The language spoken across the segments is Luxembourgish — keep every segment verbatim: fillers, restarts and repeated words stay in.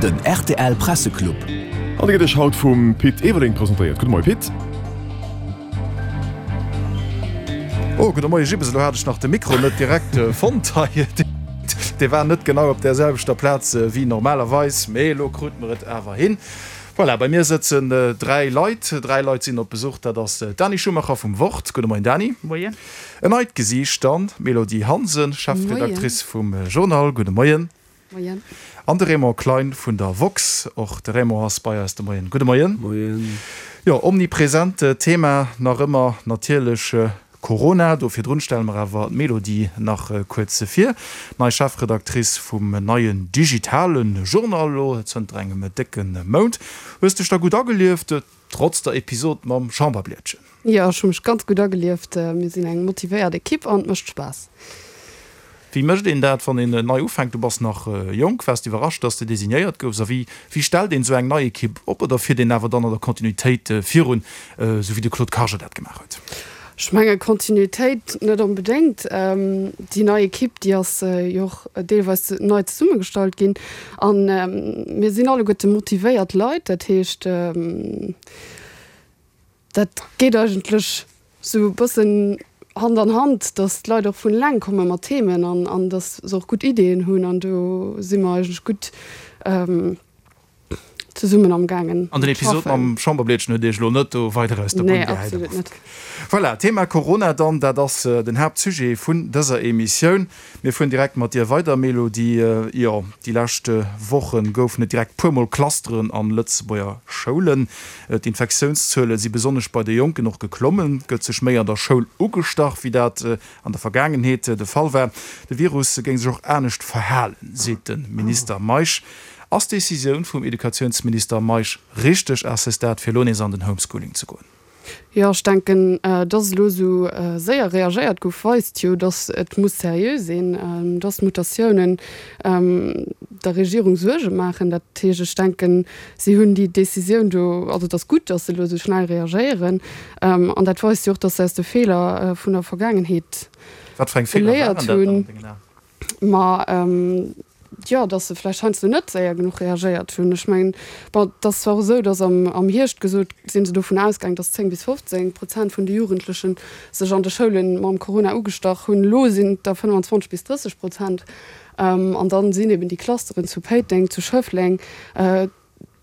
Den rtl Presseclub. An dee gëtt iech haut vum Pit Everling presentéiert. Gudde Moie Pit. Oh, gudde Moie Jibbes. Elo hat ech nach de Mikro net direkt fonnt hei. Dee war net genau op där selwechter Plaz wéi normalerweis, mee elo krute mer et awer hin. Voilà, bei mir sëtzen dräi Leit. Dräi Leit sinn op Besuch. Dat ass d'Dani Schumacher vum Wort. Gudde Moien Dani. Moien. En neit Gesiicht dann, d'Mélodie Hansen, Chefredactrice vum Journal. Gudde Moien. Moien. An de Raymond Klein vun der woxx. Och de Raymond ass bei eis de Moien. Gudde Moien. Moien. Jo, omnipresent Thema nach ëmmer natierlech Corona. Do virdrun stelle mer awer d'Mélodie nach kuerz vir, nei Chefredactrice vum neien digitale Journal elo zënter engem décke Mount. Hues dech da gutt agelieft, trotz der Episod mam Chamberblietchen? Jo, ech hu mech ganz gutt agelieft. Mir sinn eng motivéiert Ekipp an et mécht Spaass. Wéi mécht een dat, wann een nei ufänkt? Du bass nach jonk, waars iwwerrascht, dass de designéiert goufs? A wéi wéi stellt een esou eng nei Ekipp op? Oder fiert een awer dann an der Kontinuitéit virun, esou wéi de Claude Karger dat gemaach huet? Ech menge Kontinuitéit net onbedéngt. Déi nei Ekipp, déi ass jo och deelweis nei zesummegestallt ginn. A mir sinn alleguerte motivéiert Leit. Dat heescht, dat geet eigentlech sou e bëssen Hand an Hand, datt d'Leit och vun eleng komme mat Themen an an datt se och gutt Ideeën hunn an do si mer eigentlech gutt zesummen am gaangen An den ze Episod schaffen. mam Chamberblietchen huet Iech elo net do weider aus der Bunn Nee, gehäit? absolut net. Voilà, Thema Corona dann, dat ass den Haaptsujet vun dëser Emissioun. Mir fueren direkt mat dir weider, Mélodie. Jo, déi lescht Woche goufen et direkt puermol Clusteren an Lëtzebuerger Schoulen. D'Infektiounszuele si besonnesch bei de Jonken och geklommen. Et gëtt sech méi an der Schoul ugestach, wéi dat an der Vergaangenheet de Fall war. De Virus géing sech och anescht verhalen, seet de Minister Meisch. Ass d'Decisioun vum Educatiounsminister Meisch richteg à ce stade, fir elo nees an den Homeschooling ze goen? Jo, ech denken, dass elo esou séier reagéiert gouf, weist jo, dass et muss seriö sinn, dass d'Mutatiounen der Regierung Suerge maachen. Dat heescht, ech denken, si hunn déi Decisioun do, also et ass gutt, dass se elo esou schnell reagéieren. An dat weist jo och, dass se aus de Feeler vun der Vergaangenheet Wat fir eng Feeler geléiert waren dat dann an hunn. dengen Aen? Ma jo, datt se vläicht heiansdo net séier genuch reagéiert hunn. Ech mengen, bon, et ass zwar och esou, datt am am Hierscht gesot, si se dovun ausgaang, datt zéng bis fofzéng Prozent vun de Jugendleche sech an de Schoule mam Corona ugestach hunn. Elo sinn et der fënnwanzwanzeg bis drësseg Prozent. An dann sinn eben déi Clusteren zu Péiteng, zu Schëffleng,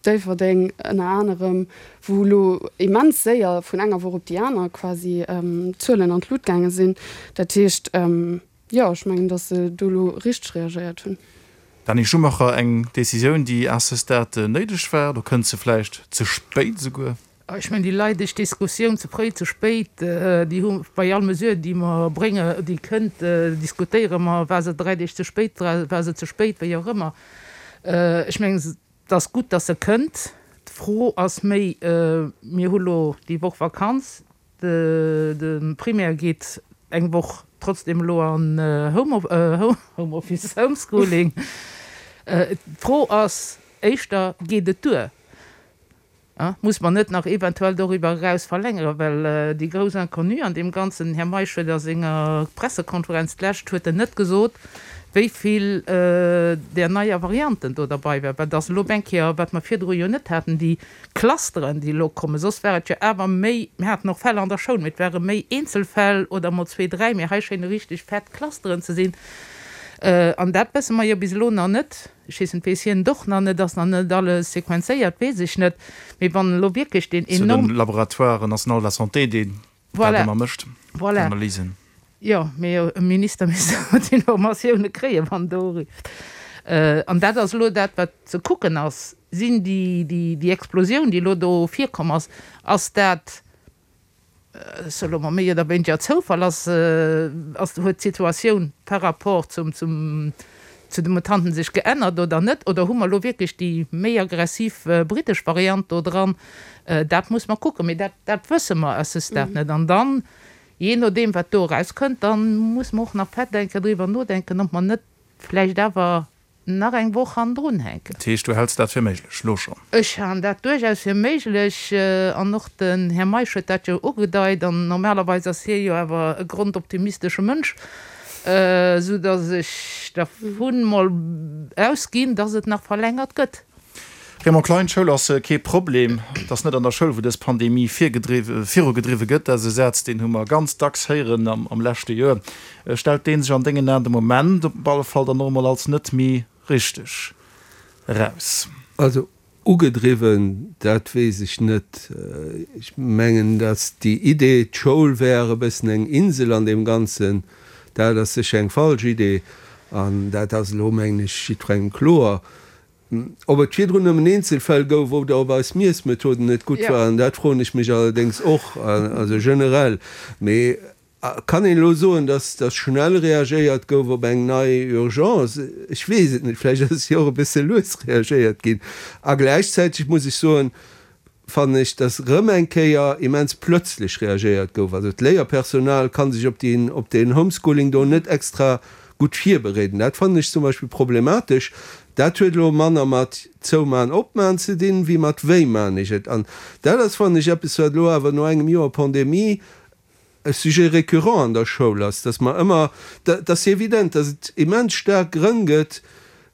Déifferdeng ënner anerem, wou elo immens séier vun enger Woch op déi aner quasi d'Zuelen an d'Lut gaange sinn. Dat heescht, jo, ech mengen, datt se do elo richteg reagéiert hunn. Dany Schumacher, Eng Decisioun, déi à ce stade néideg war, do kënnt se vläicht ze spéit esouguer? Ech mengen, déi leideg Diskussioun ze fréi, ze spéit, déi hu bei all Mesure, déi mer bréngen, déi kënnt, diskutéiere mer, war se dräi Deeg ze spéit, war se ze spéit, wéi och ëmmer. Ech mengen, et ass gutt, datt se kënnt. D'Fro ass méi, mir hu lo déi Woch Vakanz, De Primaire geet eng Woch trotzdem elo an Homeoffice, Homeschooling. D'Fro ass éischter, Geet et duer? Muss mer net nach eventuell doriwwer eraus verlängeren? Well déi grouss Inconnue an deem Ganzen, den Här Meisch huet a senger Pressekonferenz d'lescht huet en net gesot, wéi vill där neier Varianten do derbei war, well et ass elo op eng Kéier, wat mer virdru jo net haten, déi Clusteren, déi elo kommen. Soss war et jo awer méi, mir haten och Fäll an der Schoul, mee et ware méi Eenzelfäll oder emol zwee, dräi, mee hei schéine richteg fett Clusteren ze sinn. An dat wësse mer jo bis elo nach net. Ech weess net, weess hien et och nach net, ass nach net alles sequenzéiert, weess ech net. Mee wann elo wierklech deen Zu enorm. dem Laboratoire national de la santé, deen dat ëmmer mécht, Voilà. d'Analysen. Jo, mee e Minister misst awer d'Informatioune kréien, wann do urifft. An dat ass elo dat, wat ze kucken ass. Sinn déi, déi Explosioun, déi elo do virkomm ass, ass dat, ech soe elo mol, méi oder wéineger Zoufall? Ass, ass, huet d'Situatioun par rapport zum, zum, zu de Mutanten sech geännert oder net? Oder hu mer elo wierklech déi méi aggressiv britesch Variant do dran? Dat muss mer kucken, mee dat, dat wësse mer à ce stade net. An dann Jee nodeem wat do erauskënnt, da muss mer och nach fett eng Kéier driwwer nodenken, ob mer net vläicht awer nach eng Woch hannendrun hänken. Dat heescht, du häls dat fir méiglech, elo schonn? Ech halen dat duerchaus fir méiglech. An och den Här Meisch huet dat jo ugedeit. An normalerweis ass hie jo awer e grondoptimistesche Mënsch, soudass ech dervun mol ausginn, dass et nach verlängert gëtt. Raymond Klein, D'Schoul ass kee Problem. Et ass net an der Schoul, wou dës Pandemie virugedriwwe gëtt. Dat ass e Saz, deen hu mer ganz dacks héieren am leschte Joer. Stellt dee sech an dengen Aen de Moment op alle Fall dann och emol als net méi richteg eraus? Also ugedriwwen, dat weess ech net. Ech mengen, datt déi Idee, d'Schoul wär e bëssen eng Insel an deem Ganzen, dat ass sécher eng falsch Idee. An dat ass elo, mengen ech, jiddwerengem kloer. Ob et virdrun nëmmen Eenzelfäll gouf oder ob eis Miessmethoden net gutt waren, dat froen ech mech allerdéngs och, also generell. Mee kann een elo soen, datt datt schnell reagéiert gouf op eng nei Urgence? Ech weess et net. Vläicht ass jo och e bësse lues reagéiert ginn. A gläichzäiteg muss ech soen, fannen ech, datt erëm eng Kéier immens plötzlech reagéiert gouf. Also d'Léierpersonal ka sech op deen op deen Homeschooling do net extra gutt virbereeden. Dat fannen ech zum Beispill problematesch. Dat huet elo manner mat zouman, opman ze dinn, wéi mat wéi man ech et. An dat ass, fannen ech, eppes, wat elo awer no engem Joer Pandemie e Sujet récurrent an der Schoul ass, dass mer ëmmer, dat ass evident, dass et immens staark Grënn gëtt,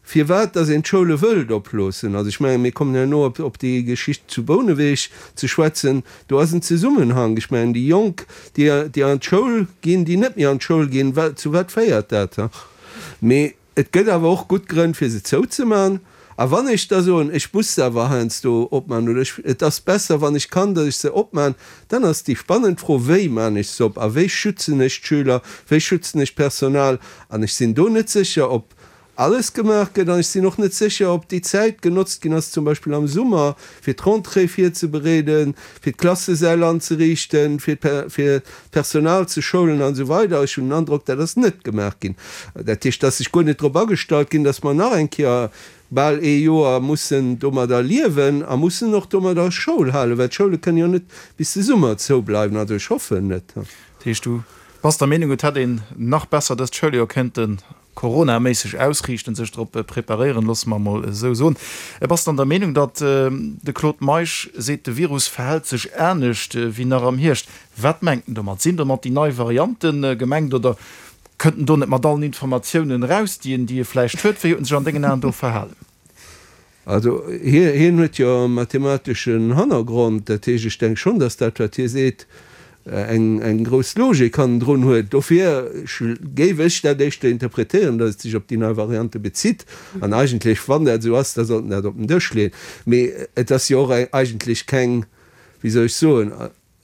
firwat dass een d'Schoule wëllt oploossen. Also ech mengen, mir kommen herno op op déi Geschicht zu Bouneweg ze schwätzen, do ass en Zesummenhank. Ech mengen, déi Jonk, déi déi an d'Schoul ginn, déi net méi an d'Schoul ginn, wat zu wat féiert dat? Mee et gëtt awer och gutt Grënn, fir se zouzeman. A wann ech da soen, ech muss se awer heiansdo opman oder ech, et ass besser, wann ech kann, datt ech se opman, dann ass déi spannend Fro, Wéi man ech se op a wéi schützen ech d'Schüler, wéi schützen ech d'Personal? An ech sinn do net sécher, ob alles gemaach gëtt an ech sinn och net sécher, ob déi Zäit genotzt ginn ass, zum Beispill am Summer, fir d'Rentrée virzebereeden, fir d'Klassesäll anzeriichten, fir d'Personal ze schoulen an esou weider. Ech hunn den Androck, dat ass net gemaach ginn. Dat heescht, et ass sech guer net drop agestallt ginn, datt mer nach eng Kéier bal ee Joer mussen domadder liewen a mussen och domadder Schoul halen, well d'Schoule kënnen jo net bis de Summer zoubleiwen, also ech hoffen net. Dat heescht, du bass der Meenung, et hätt een nach besser dëst Schouljoer kënnte coronaméisseg ausriichten, sech drop preparéieren, loosse mer emol esou soen. Bass dann der Meenung, datt de Claude Meisch seet, de Virus verhält sech anescht wéi nach am Hierscht? Wat mengt en domat? Sinn domat déi nei Variante gemengt oder Kënnt en do net mat allen Informatiounen eraus, déi en, déi e vläicht huet? Wéi huet en sech an dengen Aen do verhalen? Also, hie, hien huet jo e mathemateschen Hannergrond. Dat heescht, ech denke schonn, datt dat, wat hie seet, eng, eng grouss Logik hannendrun huet. Dofir géif ech dat éischter interpretéieren, datt et sech op déi nei Variante bezitt. An eigentlech, wann dat esou ass, da sollt en dat op den Dësch leeën. Mee et ass jo och eigentlech keng, wéi soll ech soen,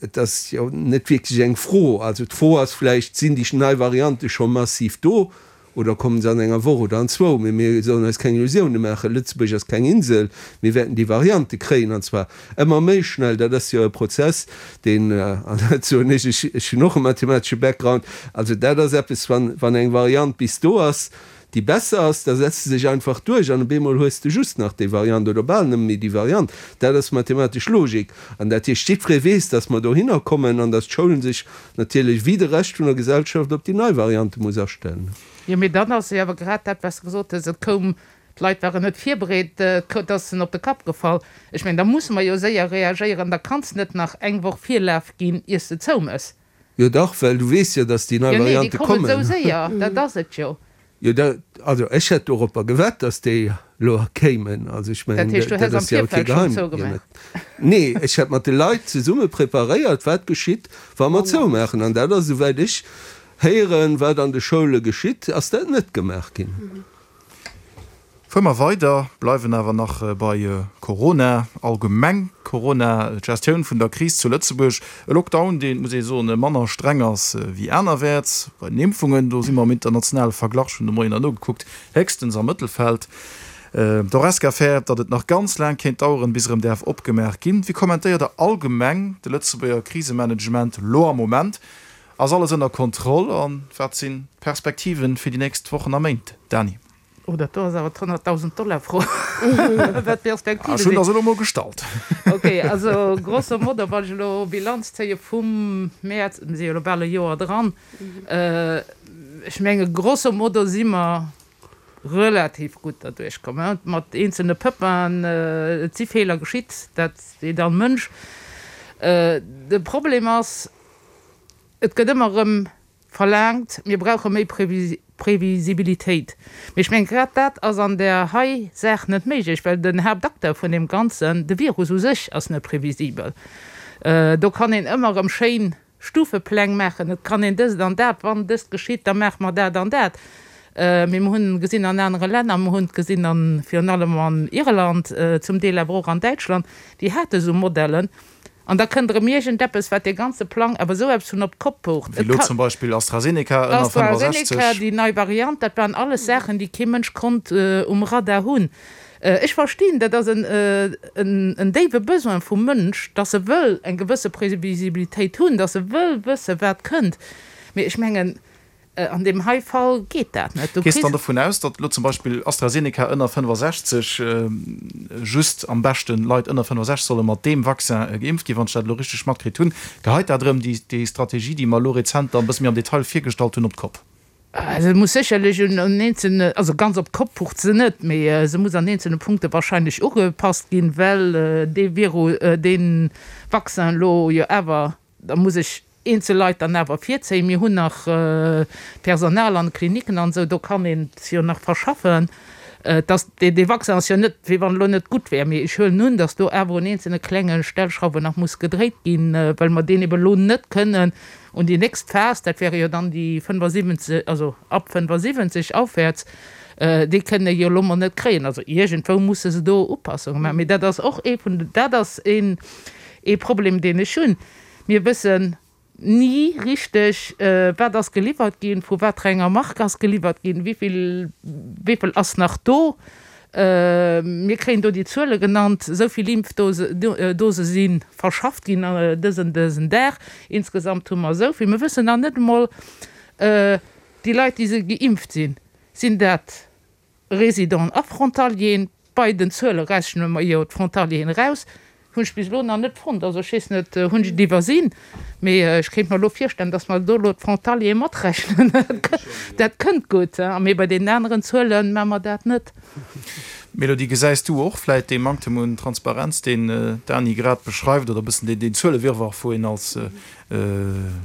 Et ass jo net wierklech eng Fro. Also d'Fro ass vläicht, Sinn déi nei Variante scho massiv do oder kommen se an enger Woch oder an zwou? Mee mir sollen eis keng Illusioune maachen, Lëtzebuerg ass keng Insel. Mir wäerten déi Variante kréien, an zwar ëmmer méi schnell. Dat ass jo e Prozess, deen, an dat soen ech, ech hunn och e mathematesche Background, also dat ass eppes, wann eng Variant bis do ass, déi besser ass, da setzt se sech einfach duerch an op eemol hues de just nach déi Variant oder bal nëmme méi déi Variant. Dat ass mathematesch Logik. An dat heescht, jiddweree weess, dass mer dohinner kommen an dass d'Schoulen sech natierlech wéi de Rescht vun der Gesellschaft op déi nei Variante muss astellen. Jo, mee dann ass jo awer grad dat, wat s de gesot hues, et koum, d'Leit waren net virbereet, et ass en op de Kapp gefall. Ech mengen, da musse mer jo séier reagéieren, da kanns net nach eng Woch Virlaf ginn, iers de zoumëss. Jo dach, well du weess jo, dass déi nei Jo, nee, déi Variante kommen kommen. esou séier, dat ass et jo. Jo, dat, also ech hätt doropper gewett, datt déi elo kéimen. Also ech Dat mengen, heescht, du dat häss am ass jo kee Virfeld schonn Geheim. zougemaach? Nee, ech hätt mat de Leit zesumme preparéiert, wat geschitt, wa mer zoumaachen. An dat ass, esouwäit ech héieren, wat an de Schoule geschitt, ass dat net gemaach ginn. Fuere mer weider, bleiwen awer nach bei Corona, allgemeng Corona, d'Gestioun vun der Kris zu Lëtzebuerg. E Lockdown, deen, muss ee soen, manner streng ass wéi anerwäerts. Bei den Impfungen, do si mer am internationale Verglach, ech hunn de Moien nach nogekuckt, héchstens am Mëttelfeld. D'Horesca-Affär, datt et nach ganz laang kéint daueren, bis erëm däerf opgemaach ginn. Wéi kommentéiert Der allgemeng de Lëtzebuerger Krisemanagement elo am Moment? Ass alles ënner Kontroll a wat sinn d'Perspektiven fir déi nächst Wochen a Méint? Dany. Oh, dat do ass awer d'honnertdausend Dollar Fro, wat d'Perspektive Ech hunn sinn. der se elo mol gestallt. Ok, also grosso modo, wann ech elo Bilanz zéie vum Mäerz, mir si jo elo bal e Joer dran, ech menge grosso modo si mer relativ gutt derduerch komm, mat eenzelne Pépin. Et si Feeler geschitt, dat seet all Mënsch. De Problem ass, et gëtt ëmmer erëm verlaangt, mir brauche méi Previsibilitéit. Mee ech mengen, grad dat ass an där hei Saach net méiglech, well den Haaptacteur vun deem Ganzen, de Virus u sech, ass net previsibel. Do kann een ëmmer erëm schéin Stufepläng maachen, et kann een dëst an dat, wann dëst geschitt, da maache mer dat an dat. Mee mer hunn gesinn an anere Länner, mer hunn et gesinn an, virun allem an Irland, zum Deel awer och an Däitschland, déi hate esou Modellen. An da kënnt erëm iergendeppes, wat dee ganze Plang awer esou eppes vun op d'Kopp pucht. Wéi elo zum Beispill AstraZeneca ënner fënnefasechzeg. AstraZeneca, déi nei Variant, dat waren alles Saachen, déi kee Mënsch konnt um Radar hunn. Ech verstinn, dat ass en déiwe Besoin vum Mënsch, dass e wëll eng gewësse Previsibilitéit hunn, dass e wëll wësse wat kënnt. Mee ech mengen, An deem hei Fall geet dat net. Du Gees dann dovun aus, datt elo zum Beispill AstraZeneca ënner fënnefasechzeg, just am beschten Leit ënner fënnefasechzeg solle mat deem Vaccin geimpft ginn, wann ech dat elo richteg matkritt hunn? Geheit dat erëm déi déi Strategie, déi mer elo rezent dann e bësse méi am Detail virgestallt hunn, op d'Kopp? Se muss sécherlech un un eenzelne, also ganz op d'Kopp pucht se net, mee se muss an eenzelne Punkte wahrscheinlech ugepasst ginn, well dee Viru dee Vaccin elo jo awer, da muss ech eenzel Leit dann awer virzéien. Mir hunn nach Personal an de Klinicken an esou, do kann een et jo nach verschaffen. Et ass, dee Vaccin ass jo net, wéi wann elo net gutt wär, mee ech huelen un, datt do awer un eenzelne klenge Stellschrauwen nach muss gedréit ginn, well mer deen ebe lo net kënnen un déi nächst Phas, dat wäre jo dann déi fënnefasiwwenzeg, also ab fënnefasiwwenzeg aufwärts, déi kënne jo elo mol net kréien. Also iergendwou musse se do Upassunge maachen. Mee dat ass och ee vun, dat ass een ee Problem, deen ech hunn. Mir wëssen ni richteg, wat ass geliwwert ginn, vu waterenger Mark ass geliwwert ginn, wéivill, wéivill ass nach do. Mir kréien do déi Zuele genannt, esou vill Impfdose si verschafft ginn dësen, dësen Dag, insgesamt hu mer esou vill. Mir wëssen nach net emol, déi Leit, déi se geimpft sinn, sinn dat Résidenten a Frontalieren? Bei den Zuele rechne mer jo d'Frontalieren eraus. Hunn ech bis elo nach net fonnt. Also ech weess net, hunn ech et iwwersinn? Mee ech kéint mer elo virstellen, dass mer do elo d'Frontaliere matrechnen. Dat kënnt gutt. Mee bei deenen aneren Zuele maache mer dat net. Mélodie, gesäis du och vläit dee Manktem un Transparenz, deen d'Dany grad beschreift, oder e bëssen deen Zuelewirrwarr, wou een als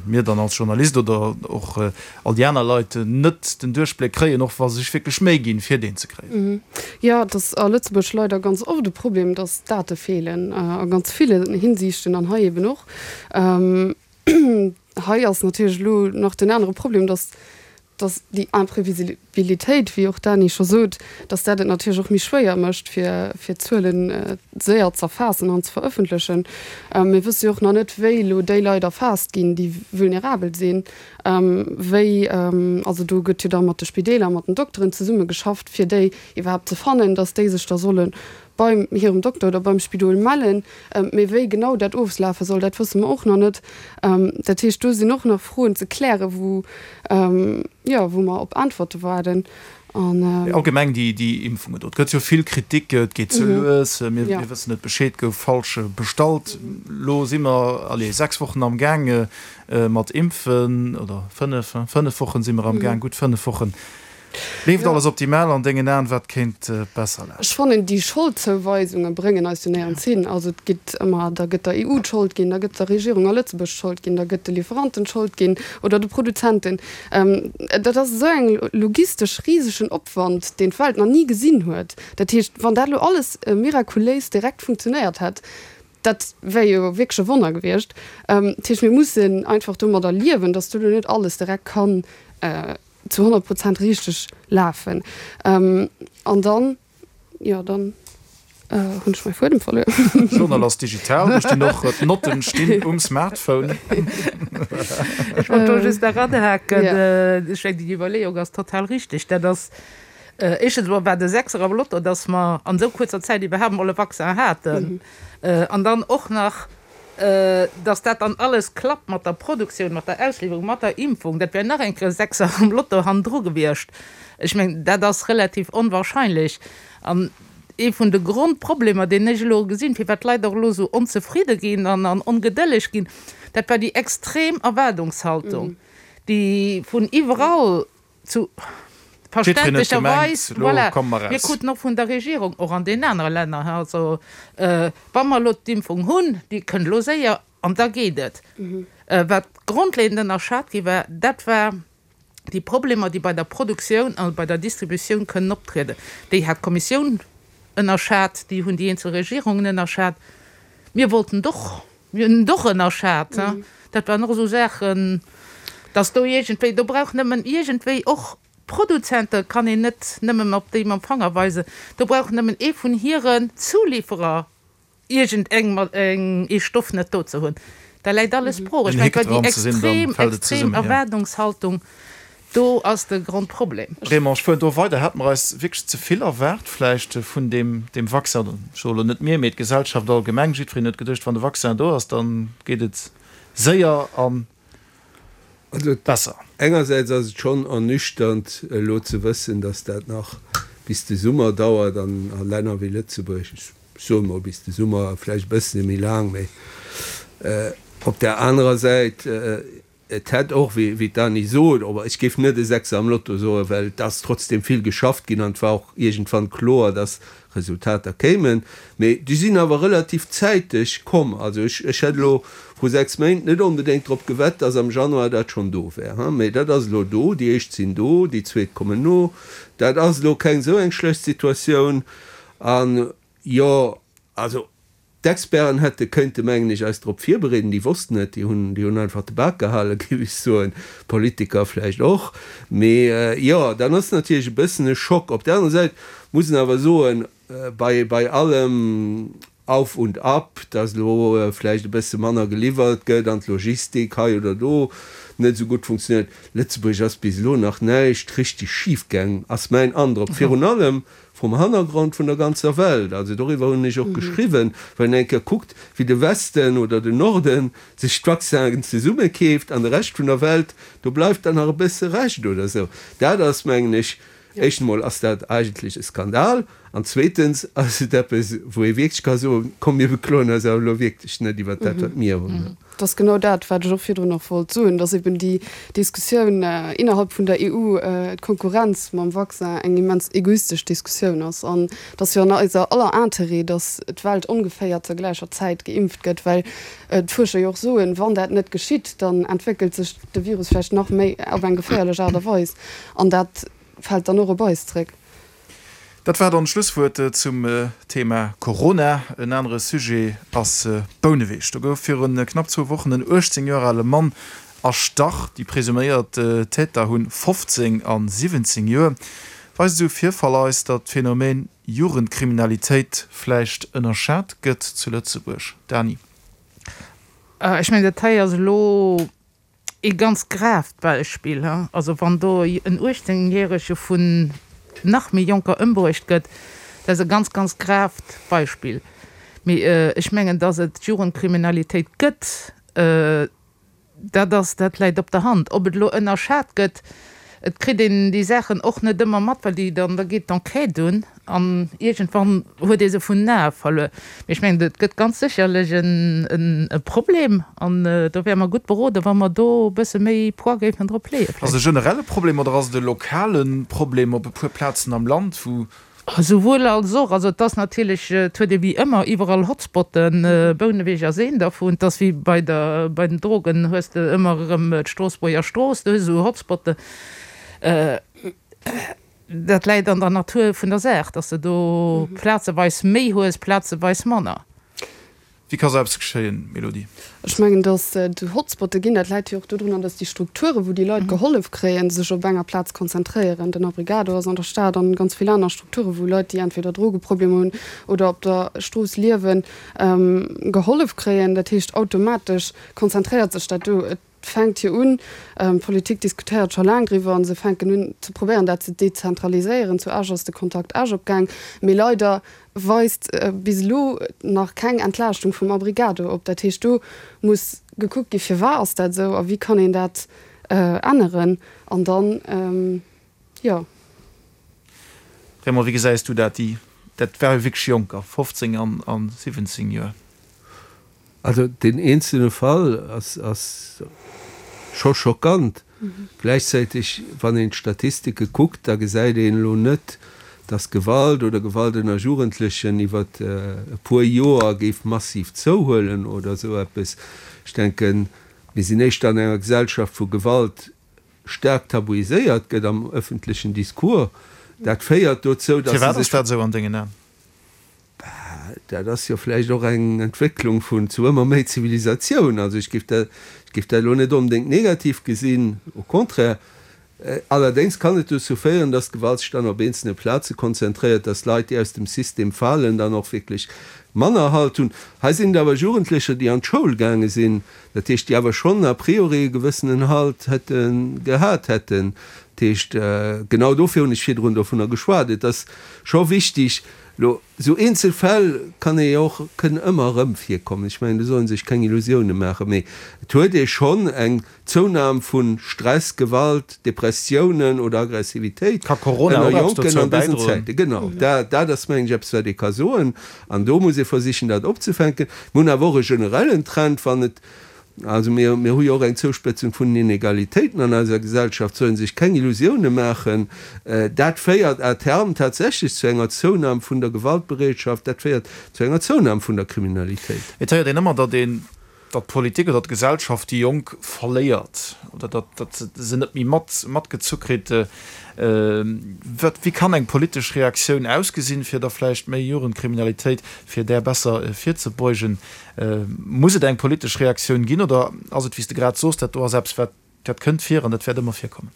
mir dann als Journalist oder och all déi aner Leit net den Duerchbléck kréien, och wa se sech wierklech Méi ginn, fir deen ze kréien. Jo, et ass a Lëtzebuerg leider ganz oft e Problem, dass d'Date feelen a ganz ville Hinsiichten an hei eben och. Hei ass natierlech elo nach den anere Problem, dass dass déi Imprevisibilitéit, wéi och d'Dany scho sot, dass dat et natierlech och méi schwéier mécht, fir fir d'Zuele séier z'erfaassen an ze verëffentlechen. Mir wësse jo och nach net, wéi elo déi Leit erfaasst ginn, déi vulnerabel sinn, wéi, also do gëtt jo da mat de Spideeler, mat den Dokteren zesumme geschafft, fir déi iwwerhaapt ze fannen, dass déi sech da solle beim hirem Dokter oder beim Spidol mellen. Mee wéi genau dat oflafe soll, dat wësse mer och nach net. Dat heescht, do sinn och nach Froen ze klären, wou, jo, wou mer op Äntwerte waarden. An. Allgemeng déi, déi Impfungen do. Et gëtt jo vill Kritik, et geet ze lues, mir, mir wëssen net Bescheed, gouf falsch bestallt. Elo si mer, allez, sechs Wochen am Gaang mat impfen, oder fënnef, fënnef Wochen si mer am Gaang, gutt fënnef Wochen. Leeft alles optimal an dengen Aen? Wat kéint besser lafen? Ech fannen, déi Scholdzouweisunge bréngen eis jo néierens hin. Also et geet ëmmer, da gëtt der E U d'Schold ginn, da gëtt der Regierung a Lëtzebuerg d'Schold ginn, da gëtt de Lieferanten d'Schold ginn oder de Produzenten. Dat ass esou eng logistesch risegen Opwand, deen d'Welt nach ni gesinn huet. Dat heescht, wann dat elo alles mirakuléis direkt funktionéiert hätt, dat wär jo wierklech e Wonner gewiescht. Dat heescht, mir mussen einfach domadder liewen, datt do elo net alles direkt kann zu honnert Prozent richteg lafen. An dann, jo, dann hunn ech mäi Fuedem verluer. Journal ass digital, do stinn och d'Notten stinn um Smartphone. Ech wollt do just nach anhaken, ech mengen déi Iwwerleeung ass total richteg. Dat ass éischtens emol war de Sechser am Lotto, datt mer an esou kuerzer Zäit iwwerhaapt emol e Vaccin haten an dann och nach, Dass dat dann alles klappt mat der Produktioun, mat der Ausliwwerung, mat der Impfung, dat wär nach eng Kéier e Sechser am Lotto hannendru gewiescht. Ech mengen, dat ass relativ onwahrscheinlech. An ee vun de Grondproblemer, deen ech elo gesinn, firwat d'Leit och elo esou onzefridde ginn an ongedëlleg ginn, dat war déi extrem Erwaardungshaltung, déi vun iwwerall zu verständlecherweis, voilà, mir kruten och vun der Regierung, och an deenen anere Länner, also wa mer elo d'Impfung hunn, déi kënnt elo séier an da geet et. Wat grondleeënd ënnerschat gi war, dat war déi Problemer, déi bei der Produktioun a bei der Distributioun kënnen optrieden. Déi hat d'Kommissioun ënnerschat, déi hunn déi eenzel Regierungen ënnerschat. Mir wollten et och, mir hunn et och ënnerschat. Dat waren och esou Saachen, dass do iergendwéi, do brauch nëmmen iergendwéi och d'Produzente kann een net nëmmen op déi mam Fanger weisen, do brauch nëmmen ee vun hiren Zulieferer iergend eng eng ee Stoff net do ze hunn, da läit alles brooch. Ech mengen, déi extrem, extrem Erwaardungshaltung, do ass de Grondproblem. Raymond, ech fueren do weider. Hate mer eis wierklech ze vill erwaart vläicht vun deem, deem Vaccin? Ech soe lo net mir, mee d'Gesellschaft allgemeng. Jiddwereen huet geduecht, wann de Vaccin do ass, da geet et séier a besser. Engersäits ass et schonn ernüchternd elo ze wëssen, datt dat nach bis de Summer dauert an a Länner wéi Lëtzebuerg, ech soe mol bis de Summer, vläicht e bëssen méi laang, mee op där anerer Säit, et hätt och, wéi d'Anny sot, ower ech géif net e Sechser am Lotto soen, well et ass trotzdem vill geschafft ginn an et war och iergendwann kloer, datt Resultater kéimen, mee déi sinn awer relativ zäiteg komm. Also ech, ech hätt elo vru sechs Méint net onbedéngt drop gewett, datt am Januar dat schonn do wär. Mee dat ass elo do, déi éischt sinn do, déi zweet kommen no. Dat ass elo keng esou eng schlecht Situatioun. An jo, also d'Experten hätte kënnte, mengen ech, eis drop virbereeden. Déi wossten et, déi hunn, déi hunn einfach de Bak gehalen, géif ech soen, d'Politiker vläicht och. Mee jo, dann ass natierlech e bëssen e Schock. Op där anerer Säit muss een awer soen, bei, bei allem Auf und Ab, dass elo vläicht e bësse manner geliwwert gëtt an d'Logistik hei oder do net esou gutt funktionéiert, Lëtzebuerg ass bis elo nach näischt richteg schifgaang, ass mäin Androck, virun allem vrum Hannergrond vun der ganzer Welt. Also doriwwer hunn ech och geschriwwen, wann een eng Kéier kuckt, wéi de Westen oder den Norden sech d'Vaccinen zesummekeeft an de Rescht vun der Welt, do bleift dann nach e bësse Rescht oder esou. Dat ass, mengen ech, éischt emol ass dat eigentlech e Skandal an zweetens ass et eppes, wou ee wierklech ka soen, komm mir bekloen eis awer elo wierklech net iwwert dat, wat mir hunn. Et ass genau dat, wat ech och virdrun nach wollt soen, dass eben déi Diskussioun innerhalb vun der E U, d'Konkurrenz mam Vaccin, eng immens egoistesch Diskussioun ass. An et ass jo an eiser aller Intérêt, dass d'Welt ongeféier zur gläicher Zäit geimpft gëtt, well d'Fuerscher jo och soen, wann dat net geschitt, dann entwéckelt sech de Virus vläicht nach méi op eng geféierlech Aart a Weis. An dat fält dann och op eis zréck. Dat war dann d'Schlusswuert zum Thema Corona. En anere Sujet ass Bouneweg. Do gouf virun knapp zwou Wochen en uechtzéng Joer ale Mann erstach. Déi presuméiert Täter hunn fofzéng a siwwenzéng Joer. Weist esou e Virfall eis, datt d'Phänomen Jugendkriminalitéit vläicht ënnerschat gëtt zu Lëtzebuerg? Dany. Ech mengen, dat hei ass elo ee ganz gravt Beispill, also wann do en Uechtzéngjärege vun nach méi Jonker ëmbruecht gëtt, dat ass e ganz, ganz gravt Beispill. Mee ech mengen, datt et Jugendkriminalitéit gëtt, dat ass, dat läit op der Hand. Ob et elo ënnerschat gëtt, et kritt een déi Saachen och net ëmmer mat, well déi dann, da geet d'Enquête un an iergendwann huet ee se vun den Ae verluer. Mee ech mengen, et gëtt ganz sécherlech e Problem an do wäre mer gutt beroden, wa mer do e bësse méi Poids géifen drop leeën Ass et e generelle Problem oder ass et e lokale Problem op e puer Plazen am Land, wou. Souwuel als och. Also et ass natierlech, et huet ee wéi ëmmer iwwerall Hotspotten. Bouneweg ass een dervun. Et ass wéi bei der, bei den Drogen hues de ëmmer erëm d'Stroossbuerger Strooss, du hues esou Hotspotten. Dat läit an der Natur vun der Saach, dass de do plazeweis méi hues, plazeweis manner. Wéi ka sou eppes geschéien, Mélodie? Ech mengen, datt et Hotspotte ginn, dat läit jo och dodrunner, datt déi Strukturen, wou déi Leit gehollef kréien, sech op enger Plaz konzentréieren. Den Abrigado ass an der Stad an ganz vill aner Strukturen, wou Leit, déi entweder Drogeproblemer hunn oder op der Strooss liewen, gehollef kréien. Dat heescht, automatesch konzentréiert sech dat do. Et fänkt jo un, d'Politik diskutéiert scho laang driwwer an se fänken un ze probéieren, dat ze dezentraliséieren. Zu Esch ass de Contact Esch opgaang, mee leider weist bis elo nach keng Entlaaschtung vum Abrigado op. Dat heescht, do muss gekuckt gi firwat ass dat esou a wéi kann een dat änneren an dann, jo. Raymond, wéi gesäis du dat? Déi, dat ware wierklech Jonker, fofzéng an siwwenzéng Joer. Also deen eenzelne Fall ass ass scho schockant. Gläichzäiteg, wann een d'Statistike kuckt, da gesäit een elo net, dass Gewalt oder Gewalt ënner Jugendlechen iwwer e puer Joer géif massiv zouhuelen oder esou eppes. Ech denken, Mir sinn éischter an enger Gesellschaft, wou Gewalt staark tabuiséiert gëtt am ëffentlechen Discours. Dat féiert dozou, datt se Firwat ass sech. dat esou an dengen Aen? Dat ass jo vläicht och eng Entwécklung vun zu ëmmer méi Zivilisatioun. Also ech géif dat, ech géif dat elo net onbedéngt negativ gesinn, au contraire. Allerdéngs kann et dozou féieren, dass d'Gewalt sech dann op eenzelne Plaze konzentréiert, dass Leit, déi aus dem System falen, dann och wierklech manner Halt hunn. Hei sinn et awer Jugendlecher, déi an d'Schoul gaange sinn, dat heescht, déi awer schonn a priori e gewëssenen Halt hätte gehat hätten. Dat heescht, genau dofir hunn ech virdrun dovunner geschwat, et ass scho wichtig, elo esou eenzel Fäll kann ee jo och, kënnen ëmmer erëm virkommen, ech mengen, do soll ee sech keng Illusioune maachen, mee et huet ee schonn eng Zounam vu Stress, Gewalt, Depressiounen oder Aggressivitéit Ka Corona ënner och eppes Jonken dozou an dësen bäidroen? Zäiten. Genau, dat, dat ass, mengen ech, eppes, wat ee ka soen. An do muss ee versichen, dat opzefänken. Mir hunn awer och e generellen Trend, wann et, also mir, mir hu jo och eng Zouspëtzung vun den Inegalitéiten an eiser Gesellschaft, soll ee sech keng Illusioune maachen, dat féiert à terme tatsächlech zu enger Zounam vun der Gewaltbereetschaft, dat féiert zu enger Zounam vun der Kriminalitéit. Et héiert een ëmmer, datt een, datt d'Politik oder d'Gesellschaft déi Jonk verléiert oder datt, datt se se net méi mat, matgezu kritt. Wat, wéi kann eng politesch Reaktioun ausgesinn, fir da vläicht méi Jugendkriminalitéit, fir där besser virzebeugen? Muss et eng politesch Reaktioun ginn oder ass et, wéi s de grad soos, dat do ass eppes, wat, dat kënnt vir an dat wäert ëmmer virkommen?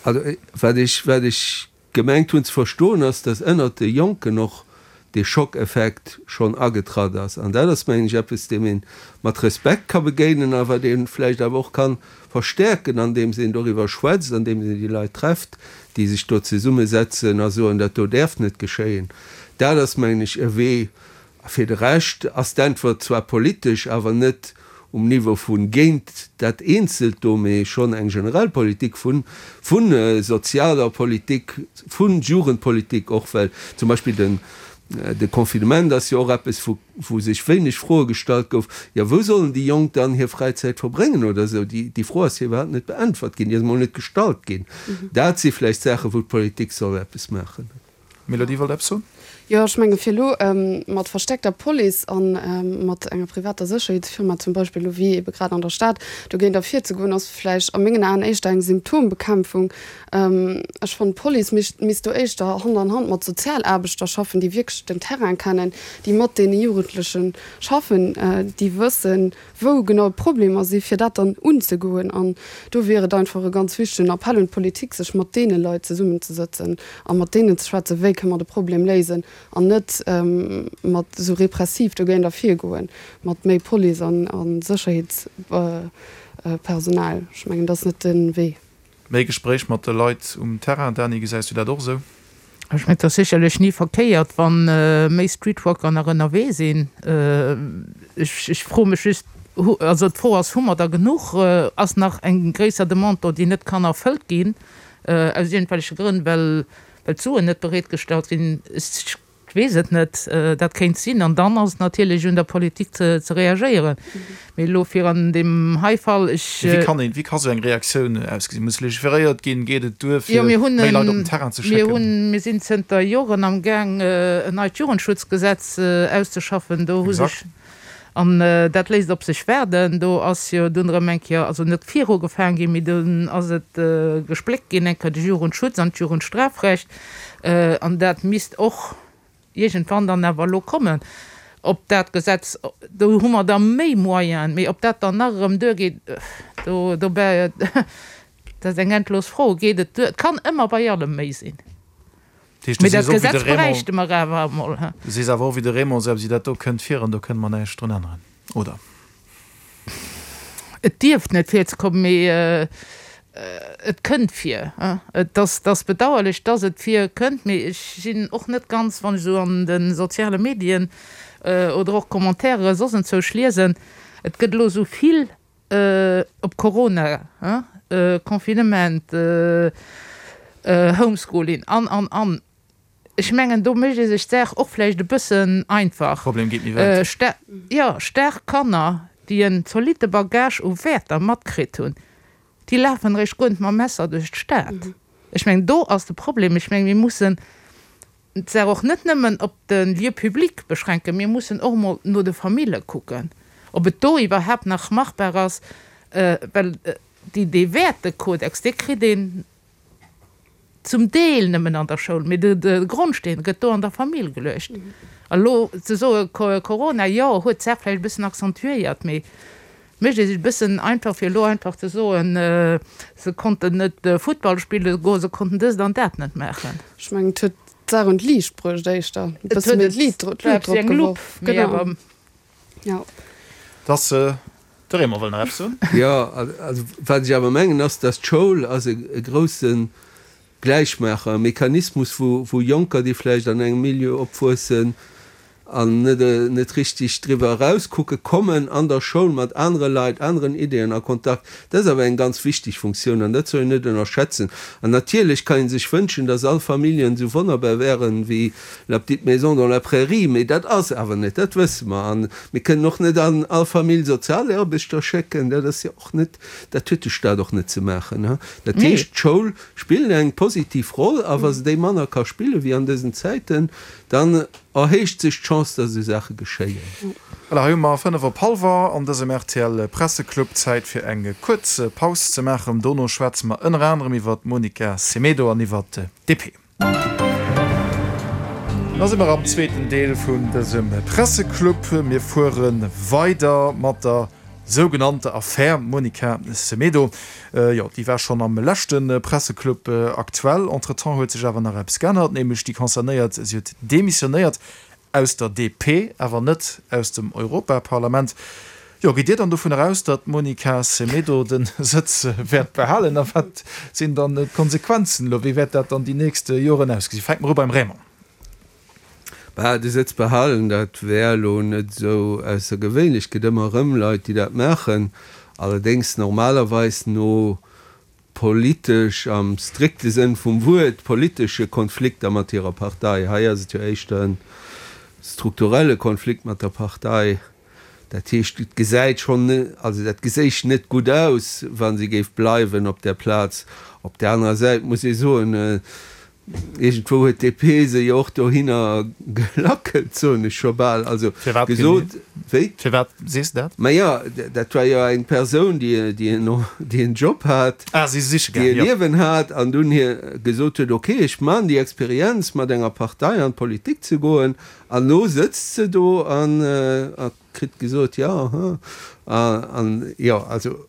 Also wat ech, wat ech gemengt hunn ze verstoen, ass, datt ënnert de Jonken och dee Schockeffekt schonn agetratt ass. An dat ass, mengen ech, eppes, deem ee mat Respekt ka begéinen a wat ee vläicht awer och ka verstäerken, andeems een doriwwer schwätzt, andeems een déi Leit trefft, déi sech do zesummesetzen a soen, dat do däerf net geschéien. Dat ass, mengen ech, e Wee. A fir de Rescht ass d'Äntwert zwar politesch, awer net um Niveau vu géint dat Eenzelt do, mee schonn eng generell Politik vu vu sozialer Politik, vu Jugendpolitik och, well zum Beispill den de Confinement ass jo och eppes, wou wou sech wéineg Froe gestallt gouf, jo wou sollen déi Jonk dann hir Fräizäit verbréngen oder esou. Déi déi Fro ass jo iwwerhaapt net beäntwert ginn, déi ass emol net gestallt ginn. Dat si vläicht Saachen, wou d'Politik soll eppes maachen. Mélodie wollt eppes soen? Jo, ech menge fir elo mat verstäerkter Police a mat enger privater Sécherheetsfirma zum Beispill, elo wéi ebe grad an der Stad, dogéint ervirzegoen, ass vläicht a mengen Aen éischter eng Symptombekämpfung. Ech fannen, d'Police misst misst do éischter Hand an Hand mat Sozialaarbechter schaffen, déi wierklech den Terrain kennen, déi mat deene Jugendleche schaffen, déi wëssen, wou genau d'Problemer si fir dat dann unzegoen. An do wier et einfach e ganz wichtegen Appell un d'Politik, sech mat deene Leit zesummenzesëtzen a mat deenen ze schwätzen, wéi kënne mer de Problem léisen an net mat esou repressiv dogéint ervirgoen, mat méi Police an Sécherheetspersonal. Ech mengen, dat ass net de Wee. Méi Gespréich mat de Leit um Terrain, Dany, gesäis du dat och esou? Ech mengen, et ass sécherlech ni verkéiert, wa méi Streetworker nach ënnerwee sinn. Ech, ech froe mech just, hu, also d'Fro ass, hu mer der genuch? Ass nach eng gréisser Demande do, déi net kann erfëllt ginn, aus iergendwelleche Grënn, well, well d'Suen net bereetgestallt ginn? Ech weess et net. Dat kéint sinn. An dann ass et natierlech un der Politik ze, ze reagéieren. Mee elo fir an deem hei Fall, ech. Wéi kann een, wéi ka sou eng Reaktioun ausgesinn? Muss legiferéiert ginn? Geet et duer, Jo, fir mir hunn méi Leit op en, den Terrain ze mir schécken? hunn, mir sinn zënter Joren am Gaang, en neit Jugendschutzgesetz auszeschaffen. Do hu sech, Exakt. an dat léisst op sech waarden. Do ass jo dunn erëm eng Kéier, also net virugefaang ginn, mee dunn ass et gespléckt ginn, eng Kéier de Jugendschutz an d'Jugendstrafrecht. An dat misst och iergendwann dann awer elo kommen. Ob dat Gesetz, do hu mer da méi Moyenen, mee ob dat dann nach erëm duergeet, do, dobäi, dat ass eng endlos Fro. Geet et duer? Et kann ëmmer bei allem méi sinn. Dat heescht, du Mee dat sees och wéi de Gesetz Raymond, bräichte mer awer emol. du sees awer och wéi de Raymond, Sebsi, dat do kënnt vir an do kënne mer näischt drun änneren, oder? Et dierft net virzekommen, mee et kënnt vir. Et ass, et ass bedauerlech, dass et virkënnt, mee ech sinn och net ganz, wann ech esou an de soziale Medien oder och Commentaire soss enzousch liesen, et gëtt elo esou vill op Corona, Confinement, Homeschooling an, an, an. Ech mengen, do mécht ee sech d'Saach och vläicht e bëssen einfach. Problem geet méi wäit. Jo, staark Kanner, déi en zolitte Bagage u Wäerter matkritt hunn, déi lafen eréischt guer net mam Messer duerch d'Stad. Ech mengen, do ass de Problem. Ech mengen, mir mussen d'Saach och net nëmmen op de Lieu public beschränken, mir mussen och emol no de Famille kucken, ob et do iwwerhaapt nach machbar ass, Well déi, dee Wäertekodex, dee kritt een zum Deel nëmmen an der Schoul, mee de Grondsteen gëtt do an der Famill geluecht. A lo ze soe Corona, jo, huet d'Saach vläicht e bëssen accentuéiert, mee mécht ee sech e bëssen einfach, fir elo einfach ze soen, se konnten net Futtball spille goen, se konnten dëst an dat net maachen. Ech mengen, et huet d'Saach un d'Liicht bruecht éischter, e bësse méi d'Liit drop geworf. Genau, jo. Dass de Raymond wëll nach eppes soen. Jo, also wat ech awer mengen ass, dass d'Schoul ass e grousse Gläichmaacher, e Mechanismus, wou Jonker, déi vläicht an engem Milieu opwuessen an net net richtig driwwer erauskucke kommen, an der Schoul mat anere Leit, aneren Ideeën a Kontakt. Dat ass awer eng ganz wichtig Funktioun an dat soll een net ënnerschätzen. An natierlech kann ee sech wënschen, dass all Familljen esou wonnerbar wären wéi la petite maison dans la prairie, mee dat ass awer net, dat wësse mer. An mir kënnen och net an all Famill Sozialaarbechter schécken, dat ass jo och net, dat huet de Stat och net ze maachen. Dat heescht, d'Schoul spillt eng positiv Roll, a wa se déi manner ka spille wéi an dësen Zäiten, dann erhéicht sech d'Chance, dass esou Saache geschéien. Voilà, hei hu mer fënnef op hallwer an dësem rtl Presseclub. Zäit fir eng kuerz Paus ze maachen. Dono schwätze mer ënner anerem iwwer d'Monica Semedo an iwwer d'DP. Da si mer am zweeten Deel vun dësem Presseclub. Mir fuere weider mat der sougenannter Affär Monica Semedo. Jo, déi war schonn am leschte Presseclub aktuell. Entretemps huet sech awer nach eppes geännert, nämlech déi Concernéiert, si huet demissionéiert aus der D P, awer net aus dem Europaparlament. Jo, gitt Dir dann dovunner aus, datt d'Monica Semedo de Sëtz wäert behalen? A wat sinn dann d'Konsequenzen elo? Wéi wäert dat dann déi nächst Joren ausgesinn? Fänke mer u beim Raymond. Bah, de Sëtz behalen, dat wär elo net esou aussergewéinlech. Gëtt ëmmer erëm Leit, déi dat maachen. Allerdéngs normalerweis no politesch, am strikte Sënn vum Wuert, politesche Konflikter mat hirer Partei. Hei ass et jo éischter e strukturelle Konflikt mat der Partei. Dat heescht, et gesäit schonn, also dat geséich net gutt aus, wa si géif bleiwen op där Plaz. Op där anerer Säit muss ee soen, iergendwou huet d'D P se jo och dohinner gelackelt, soen ech scho bal, also Firwat gesot, genee? Wéi? Firwat sees de dat? Maja, dat war jo eng Persoun, déi, déi en, déi en Job hat, Ah, si siche déi e gaang, jo. Liewen hat an dunn hir gesot huet, okay, ech man déi Experienz mat enger Partei an d'Politik ze goen, an elo sëtzt se do an, a kritt gesot, jo, aha, an, jo, also.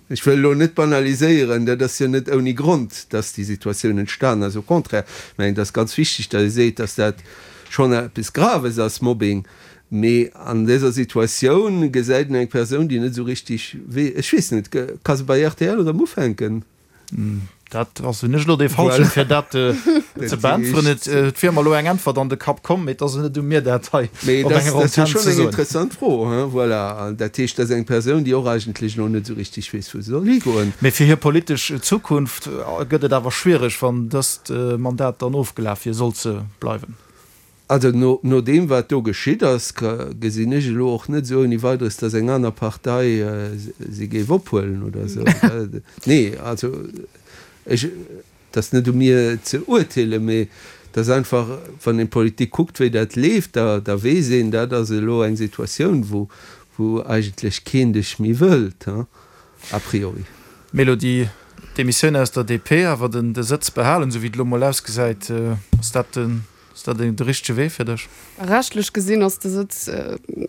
Ech wëll elo net banaliséieren, dat ass jo net ouni Grond, dass déi Situatioun entstanen ass. Au contraire, ech mengen, et ass ganz wichteg, datt ee seet, dass dat schonn eppes Graves ass, Mobbing. Mee an dëser Situatioun gesäit een eng Persoun, déi net esou richtig wee, ech weess net, ka se bei R T L erëm ufänken? Dat ass, hunn ech elo dee Falschen, Voilà. fir dat ze Dat beäntweren. heescht. Et et wier mer elo eng Äntwert an de Kapp komm, mee et ass net u mir, dat hei Mee op dat enger dat ass jo Antenn schonn ze eng soen. interessant Fro, hein, voilà. An dat heescht, dat ass eng Persoun, déi och eigentlech elo net esou richtig weess, wou se soll higoen. Mee fir hir politesch Zukunft gëtt et awer schwiereg, wann dëst Mandat dann ofgelaf wier, sollt se bleiwen. Also no no deem, wat do geschitt ass, gesinn ech elo och net esou ouni Weideres, datt eng aner Partei si géif ophuelen oder esou. Nee, also ech, et ass net u mir ze urteelen, mee et ass einfach, wann een d'Politik kuckt, wéi dat leeft, da da weess een, dat ass elo eng Situatioun, wou wou eigentlech keen dech méi wëllt, hein, a priori. Mélodie, D'Demissioun aus der D P, awer den de Sëtz behalen, esou wéi et elo mol ausgesäit, ass dat den Ass dat de richtege Wee fir dech? Rechtlech gesinn ass de Sëtz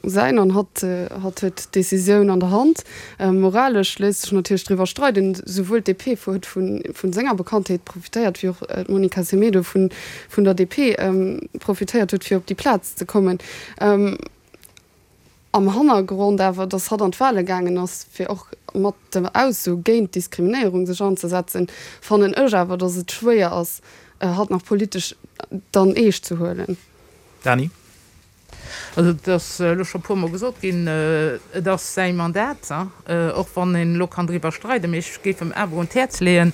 säin an hatt hatt huet d'Decisioun an der Hand. Moralesch léisst sech natierlech driwwer streiden. Souwuel d'D P huet vu senger Bekanntheet profitéiert, wéi och d'Monica Semedo vun vun der D P profitéiert huet, fir op déi Plaz ze kommen. Am Hannergrond awer, datt hatt an d'Wale gaangen ass, fir och mat der Ausso géint Diskriminéierung sech anzesetzen, fannen ech awer, datt et schwéier ass, hatt nach politesch dann eescht ze huelen. Dany? Also et ass elo scho e puermol gesot ginn, et ass säi Mandat, och wann een elo kann driwwer streiden, mee ech géif em awer un d'Häerz leeën,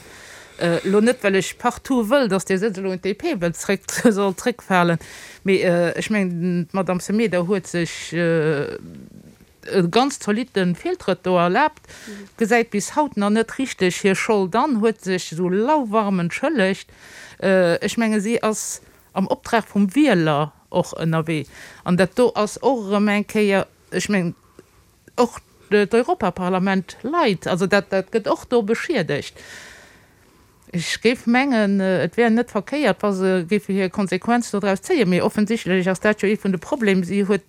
elo net well ech partout wëll, datt dee Sëtz elo un d'D P wëll zréck, soll zréckfalen, mee ech mengen, d'Madame Semedo huet sech e ganz zolitte Feeltrëtt do erlaabt, gesäit bis haut nach net richteg hir Schold an, huet sech esou lauwarm entschëllegt. Ech menge si ass am Optrag vum Wieler och ënnerwee an dat do ass och erëm eng Kéier, ech mengen och d'Europaparlament leit. Also dat, dat gëtt och do beschiedegt. Ech géif mengen, et wär net verkéiert, wa se géife hir Konsequenz dodraus zéien. Mee offensichtlech ass dat jo ee vun de Problemer, si huet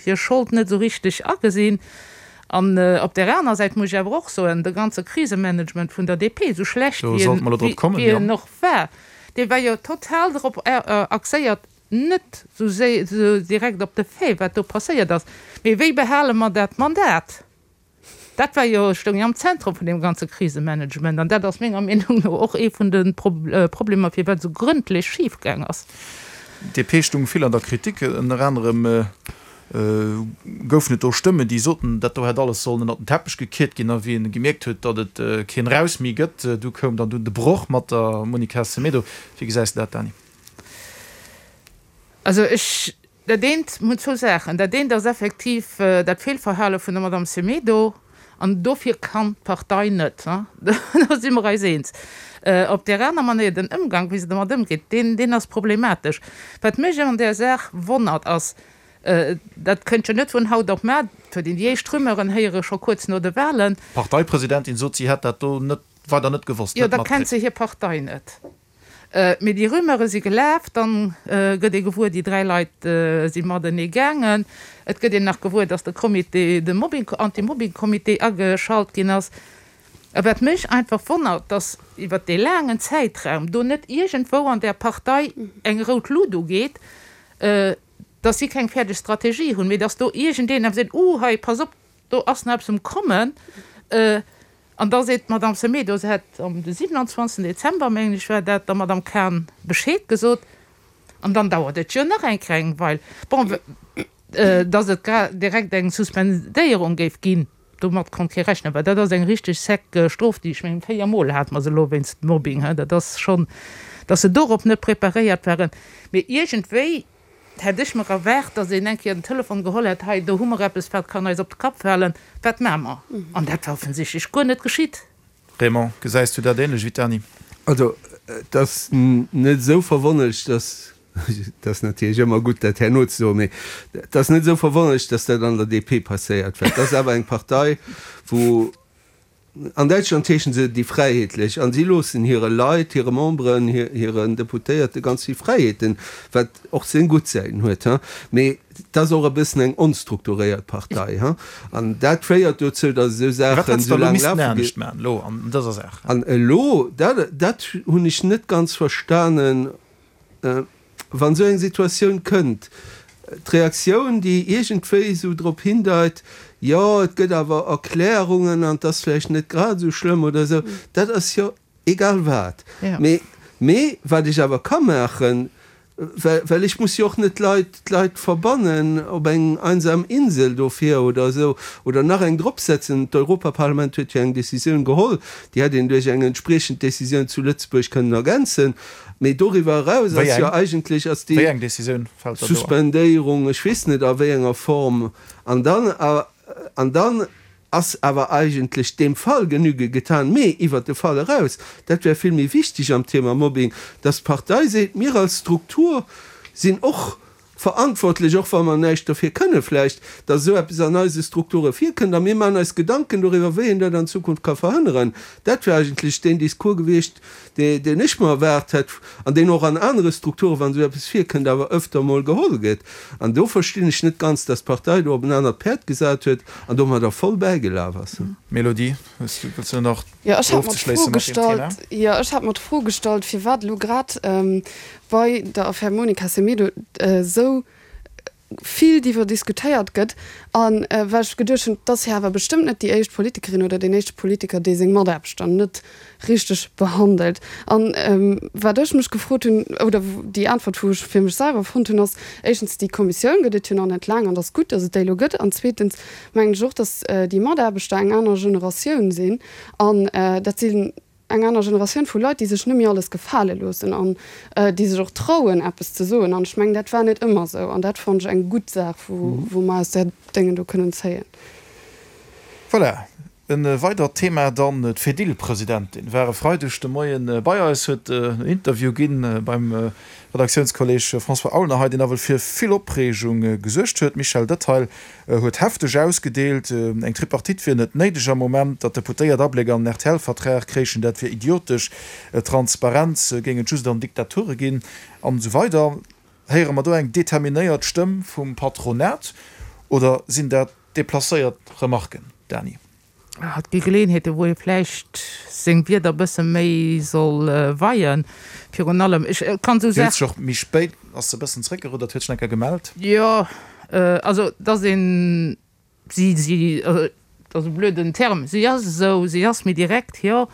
hir Schold net esou richteg agesinn. An op där aner Säit muss ech awer och soen, de ganze Krisemanagement vun der D P, esou schlecht wéi en och war, dee war jo total drop axéiert, net esou direkt op de Fait, wat do passéiert ass, mee wéi behale mer dat Mandat? Dat war jo, stoung jo am Zentrum vun deem ganze Krisemanagement. An dat ass menger Meenung no och ee vun de Problemer, firwat esou grëndlech schifgaang ass. D P stung vill an der Kritik, ënner anerem goufen et do Stëmmen, déi soten, dat do hätt alles sollen ënnert den Teppech gekiert ginn. A wéi een gemierkt huet, datt et keen Raus méi gëtt, du koum dann dunn de Broch mat der Monica Semedo. Wéi gesäis de dat, Dany? Also ech, dat eent, mir hunn zwou Saachen. Dat eent ass effektiv dat Feelverhale vun der Madame Semedo, an dofir kann d'Partei net, do si mer eis eens. Op där aner Manéier, den Ëmgang, wéi se domat ëmgeet, deen, deen ass problematesch. Wat mech an där Saach wonnert ass, dat kënnt jo net vun haut op mar, et huet een déi éischt Rumeuren héiere scho kuerz no de Wahlen. D'Parteipresidentin sot, si hätt dat do net weider net gewosst, Jo, net da kennt matkritt. se hir Partei net. Mee déi Rumeure si gelaf, dann gëtt ee gewuer, déi dräi Leit si matenee gaangen. Et gëtt een nach gewuer, datt de Comité, de Mobbing, Anti-Mobbing-Comité ageschalt ginn ass. A wat mech einfach wonnert, datt iwwert dee laangen Zäitraum do net iergendwou an där Partei eng rout Lut ugeet, datt si keng fäerdeg Strategie hunn, mee datt do iergendeen awer seet, Uh, hei, pass op, do ass nach eppes um Kommen. An da seet d'Madame Semedo, se hätt am de siwenanzwanzegsten Dezember, mengen ech war dat, der Madame Cahn Bescheed gesot. An dann dauert et jo nach eng kleng Weil. Bon, datt et direkt eng Suspendéierung géif ginn, domat konnt kee rechnen, well dat ass eng richteg sec Strof, déi, ech mengen, véier Mol hate mer se elo wéinst Mobbing, dat ass schonn, datt se dorop net preparéiert waren. Mee iergendwéi hätt ech mer erwaart, datt een eng Kéier den Telefon geholl hätt, Hei, do hu mer eppes, wat kann eis op de Kapp falen, wat maache mer? An dat war offensichtlech guer net geschitt. Raymond, gesäis du dat ähnlech wéi d'Dany? Also, et ass net esou verwonnerlech, datt, et ass natierlech ëmmer gutt, dat herno ze soen, mee et ass net esou verwonnerlech, datt dat an der D P passéiert, well et ass awer eng Partei, wou, an Däitschland heeschen se déi Fräiheetlech, an si loossen hire Leit, hire Memberen, hiren Deputéierte ganz vill Fräiheeten, wat och seng gutt Säiten huet. Mee et ass och e bëssen eng onstrukturéiert Partei, an dat féiert dozou, datt esou Wat Saachen hätt s de esou elo laang missten lafe. Anescht maachen elo an dëser Saach? An elo, dat, dat hunn ech net ganz verstanen, wann esou eng Situatioun kënnt, d'Reaktioun, déi iergendwéi esou drop hindeit, jo, et gëtt awer Erklärungen an et ass vläicht net grad esou schlëmm oder esou, dat ass jo egal wat. Mee, mee wat ech awer ka maachen, well, well ech muss jo och net d'Leit, d'Leit verbannen op eng einsam Insel dofir oder esou oder nach eng dropsetzen. D'Europaparlament huet jo eng Décisioun geholl, déi hätt een duerch eng entspriechend Décisioun zu Lëtzebuerg kënnen ergänzen. Mee doriwwer eraus Wéi ass jo eng? eigentlech ass Wéi déi eng Décisioun fält der do an? Suspendéierung, ech weess net a wéi enger Form, an dann, an dann ass awer eigentlech deem Fall Genüge getan. Mee iwwert de Fall eraus, dat wär vill méi wichteg am Thema Mobbing, dass d'Partei seet, mir als Struktur sinn och verantwortlech, och wa mer näischt dofir kënne vläicht, dass esou eppes an eise Strukture virkënnt, a mir maachen eis Gedanken doriwwer, wéi een dat an Zukunft ka verhënneren. Dat wär eigentlech deen Discours gewiescht, deen ech mer erwaart hätt an deen och an anere Strukturen, wann esou eppes virkënnt, awer öfter emol geholl gëtt. An do verstinn ech net ganz, dass d'Partei do op en anert Päerd gesat huet an domadder voll bäigelaf ass. Mélodie, hues du, wëlls du nach Jo, ech hat mer d'Fro ofzeschléisse mat deem Thema? gestallt, jo, ech hat mer d'Fro gestallt, firwat elo grad bei der Affär Monica Semedo esou vill diwwer diskutéiert gëtt an well ech geduecht hunn, et ass jo awer bestëmmt net déi éischt Politikerin oder deen éischte Politiker, dee seng Mataarbechter net richteg behandelt. An wat ech mech gefrot hunn, oder déi Äntwert, wou ech fir mech selwer fonnt hunn, ass éischtens, déi Kommissioun gëtt et jo nach net laang an et ass gutt, datt et déi elo gëtt. An zweetens mengen ech och, datt déi Mataarbechter eng aner Generatioun sinn an dat sinn eng aner Generatioun vu Leit, déi sech net méi alles gefale loossen an déi sech och trauen, eppes ze soen. An ech mengen, dat war net ëmmer esou. An dat fannen ech eng gutt Saach, wou, wou mer aus där Déngen do kënnen zéien. Voilà, E weidert Thema dann, D'Fedil-Presidentin war e Freideg de Moien bei eis, huet en Interview ginn beim Redaktiounskolleg François Aulner hei, deen nawell fir vill Opreegung gesuergt huet. D'Michèle Detaille huet hefteg ausgedeelt, eng Tripartite wier net néideg am Moment, datt d'Deputéiert Abléck an den R T L-Vertrag kréichen, dat wier idiotesch, Transparenz géing et just an Diktature ginn an esou weider. Héiere mer do eng determinéiert Stëmm vum Patronat oder sinn dat deplacéiert Remarken, Dany? Et gi Geleeënheeten, wou ee vläicht seng Wierder e bësse méi soll weien. Virun allem, ech kann esou Saachen. Huet sech och méi spéit, ass se e bëssen zréckgeruddert, huet sech nach eng Kéier gemellt. Jo, also dass een si, si, also et ass e blöden Term, si ass esou, si ass méi direkt, jo.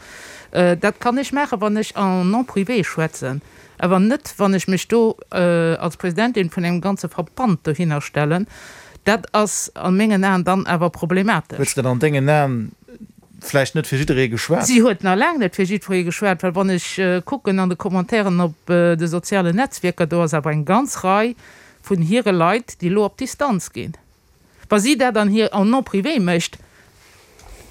Dat kann ech maachen, wann ech en nom privé schwätzen, awer net, wann ech mech do als Presidentin vun engem ganze Verband dohinner stellen. Dat ass a mengen Aen dann awer problematesch. Huet se dann an dengen Aen vläicht net fir jidderee geschwat? Si huet nach laang net fir jiddweree geschwat, well wann ech kucken an de Commentairen op de sozialen Netzwierker, do ass awer eng ganz Rei vun hire Leit, déi elo op Distanz ginn. Wa si dat an hir en nom privé mécht,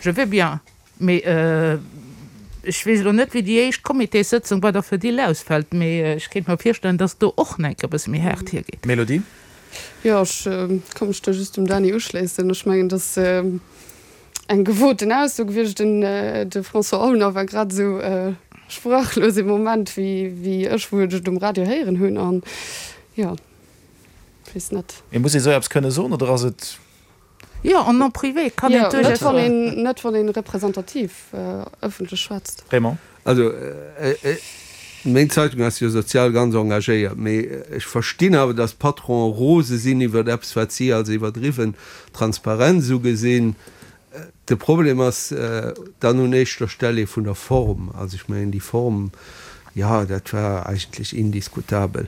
je veux bien, mee ech weess elo net, wéi déi éischt Comitéssëtzung bei der Fedil ausfält, mee ech kéint mer virstellen, dass do och nach eng Kéier e bësse méi haart hiergeet. Mélodie? Jo, ech ka mech do just dem Dany uschléissen. Ech mengen, dat ass eng gewoten Ausso gewiescht. Den de François Aulner war grad esou sprachlos ee Moment wéi wéi ech, wou ech et um Radio héieren hunn. An jo, weess net. Mee muss ee sou eppes kënne soen oder ass et. Jo, en nom privé kann een Jo, net duerchaus wann soen. een, net wann een representativ ëffentlech schwätzt. Raymond? Also, meng Zeitung ass jo sozial ganz engagéiert, mee ech verstinn awer, datt d'Patronen rose sinn iwwer eppes, wat si als iwwerdriwwen Transparenz ugesinn. De Problem ass dann un éischter Stell ee vun der Form. Also ech mengen, déi Form, jo, dat war eigentlech indiskutabel.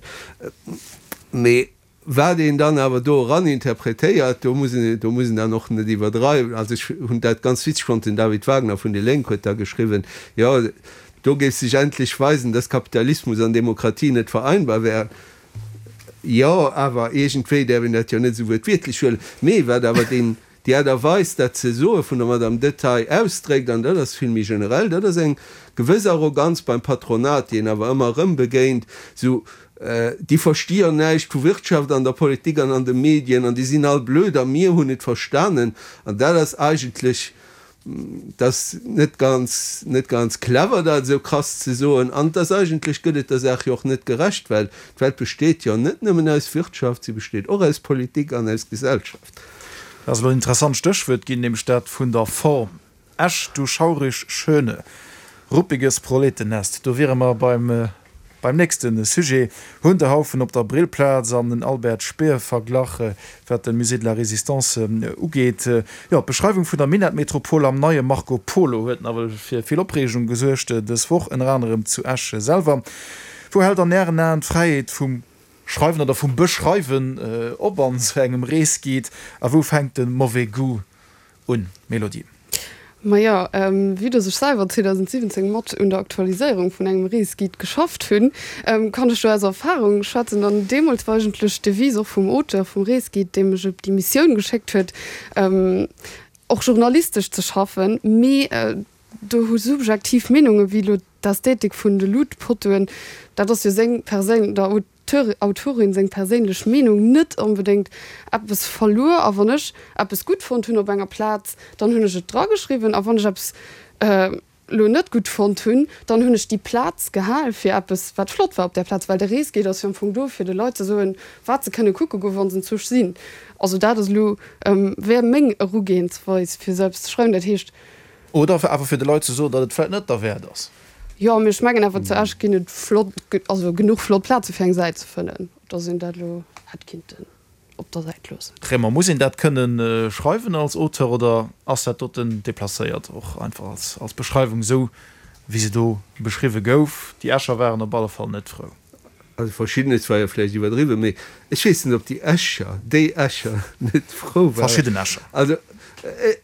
Mee wat een dann awer do eraninterpretéiert, do muss een, do muss een dann och net iwwerdreiwen. Also ech hunn dat ganz witzeg fonnt, den David Wagner vun déi Lénk huet da geschriwwen, jo, do géif sech endlech weisen, dass Kapitalismus an Demokratie net vereinbar wären. Jo, awer iergendwéi däerf een dat jo net esou wuertwiertlech huelen. Mee wat awer deen, déi Aart a Weis, dat ze soe vun der Madame Detaille ausdréckt, an dat ass vill méi generell, dat ass eng gewëss Arroganz beim Patronat, déi een awer ëmmer erëm begéint, esou, déi versti jo näischt vu Wirtschaft an der Politik an an de Medien an déi sinn all blöd a mir hunn et verstanen. An dat ass eigentlech, 't ass net ganz, net ganz clever, dat esou krass ze soen. An 't ass eigentlech, gëtt et der Saach jo och net gerecht, well d'Welt besteet jo net nëmmen aus Wirtschaft, si besteet och aus Politik an aus Gesellschaft. Dat ass elo en interessant Stéchwuert ginn, nämlech dat vun der Form. Esch, du schaurig Schöne, ruppiges Proletennest. Do wiere mer beim Beim nächste Sujet, Hunderhaufen op der Brillplaz an den Albert Speer Verglach, wat de Musée de la Résistance ugeet. Jo, d'Beschreiwung vun der Minettmetropol am neie Marco Polo huet nawell fir vill Opreegung gesuergt dës Woch, ënner anerem zu Esch selwer. Wou hält an Ären Aen d'Fräiheet vum Schreiwen oder vum Beschreiwen op an esou engem Reesguide a wou fänkt de mauvais goût un, Mélodie? Majo, vue dass ech selwer zweedausendsiwwenzéng mat un der Aktualiséierung vun engem Reesguide geschafft hunn, kann ech do aus Erfahrung schwätzen. An deemools war eigentlech d'Devise och vum Auteur vum Reesguide, dee mech op déi Missioun geschéckt huet, och journalistesch ze schaffen, mee do hu subjektiv Meenunge wéi elo d'Ästhetik vun de Luutpotoen, dat ass jo seng perséin der Auteur, Autorin seng perséinlech Meenung, net onbedéngt eppes verluer. A wann ech eppes gutt fonnt hunn op enger Plaz, dann hunn ech et drageschriwwen. A wann ech eppes elo net gutt fonnt hunn, dann hunn ech déi Plaz gehal fir eppes, wat flott war op där Plaz. Well de Reesguide ass jo am Fong do, fir de Leit ze soen, wat se kënne kucke goen, wa se entzwousch sinn. Also dat ass elo, wär meng Erugehensweis, fir esou eppes ze schreiwen. Dat heescht. Oder awer fir de Leit ze soen, datt et vläicht net derwäert ass. Jo, mee ech mengen awer zu Esch ginn et flott, also genuch flott Plaze fir eng Säit ze fëllen, dass een dat elo hätt kinnten op der Säit loossen. Raymond, muss een dat kënnen schreiwen als Auteur oder ass dat doten deplacéiert, och einfach als als Beschreiwung esou wéi se do beschriwwe gouf? Déi Escher waren op alle Fall net frou. Also Verschiddenes war jo vläicht iwwerdriwwen, mee ech weess net, ob déi Escher, déi Escher net frou waren. Verschidden Escher. Also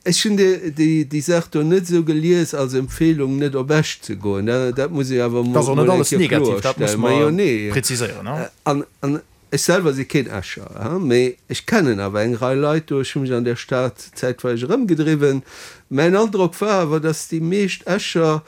ech hunn déi Saach do net esou gelies als Empfehlung, net op Esch ze goen. Dat muss ech awer Dat ass och mol net eng alles Kéier negativ, dat muss kloerstellen. Majo, mer nee. preziséieren. An, an Ech selwer si keen Escher, mee ech kennen awer eng Rei Leit do. Ech hu mech an där Stad zäitweileg erëmgedriwwen. Mäin Androck war awer, datt déi meescht Escher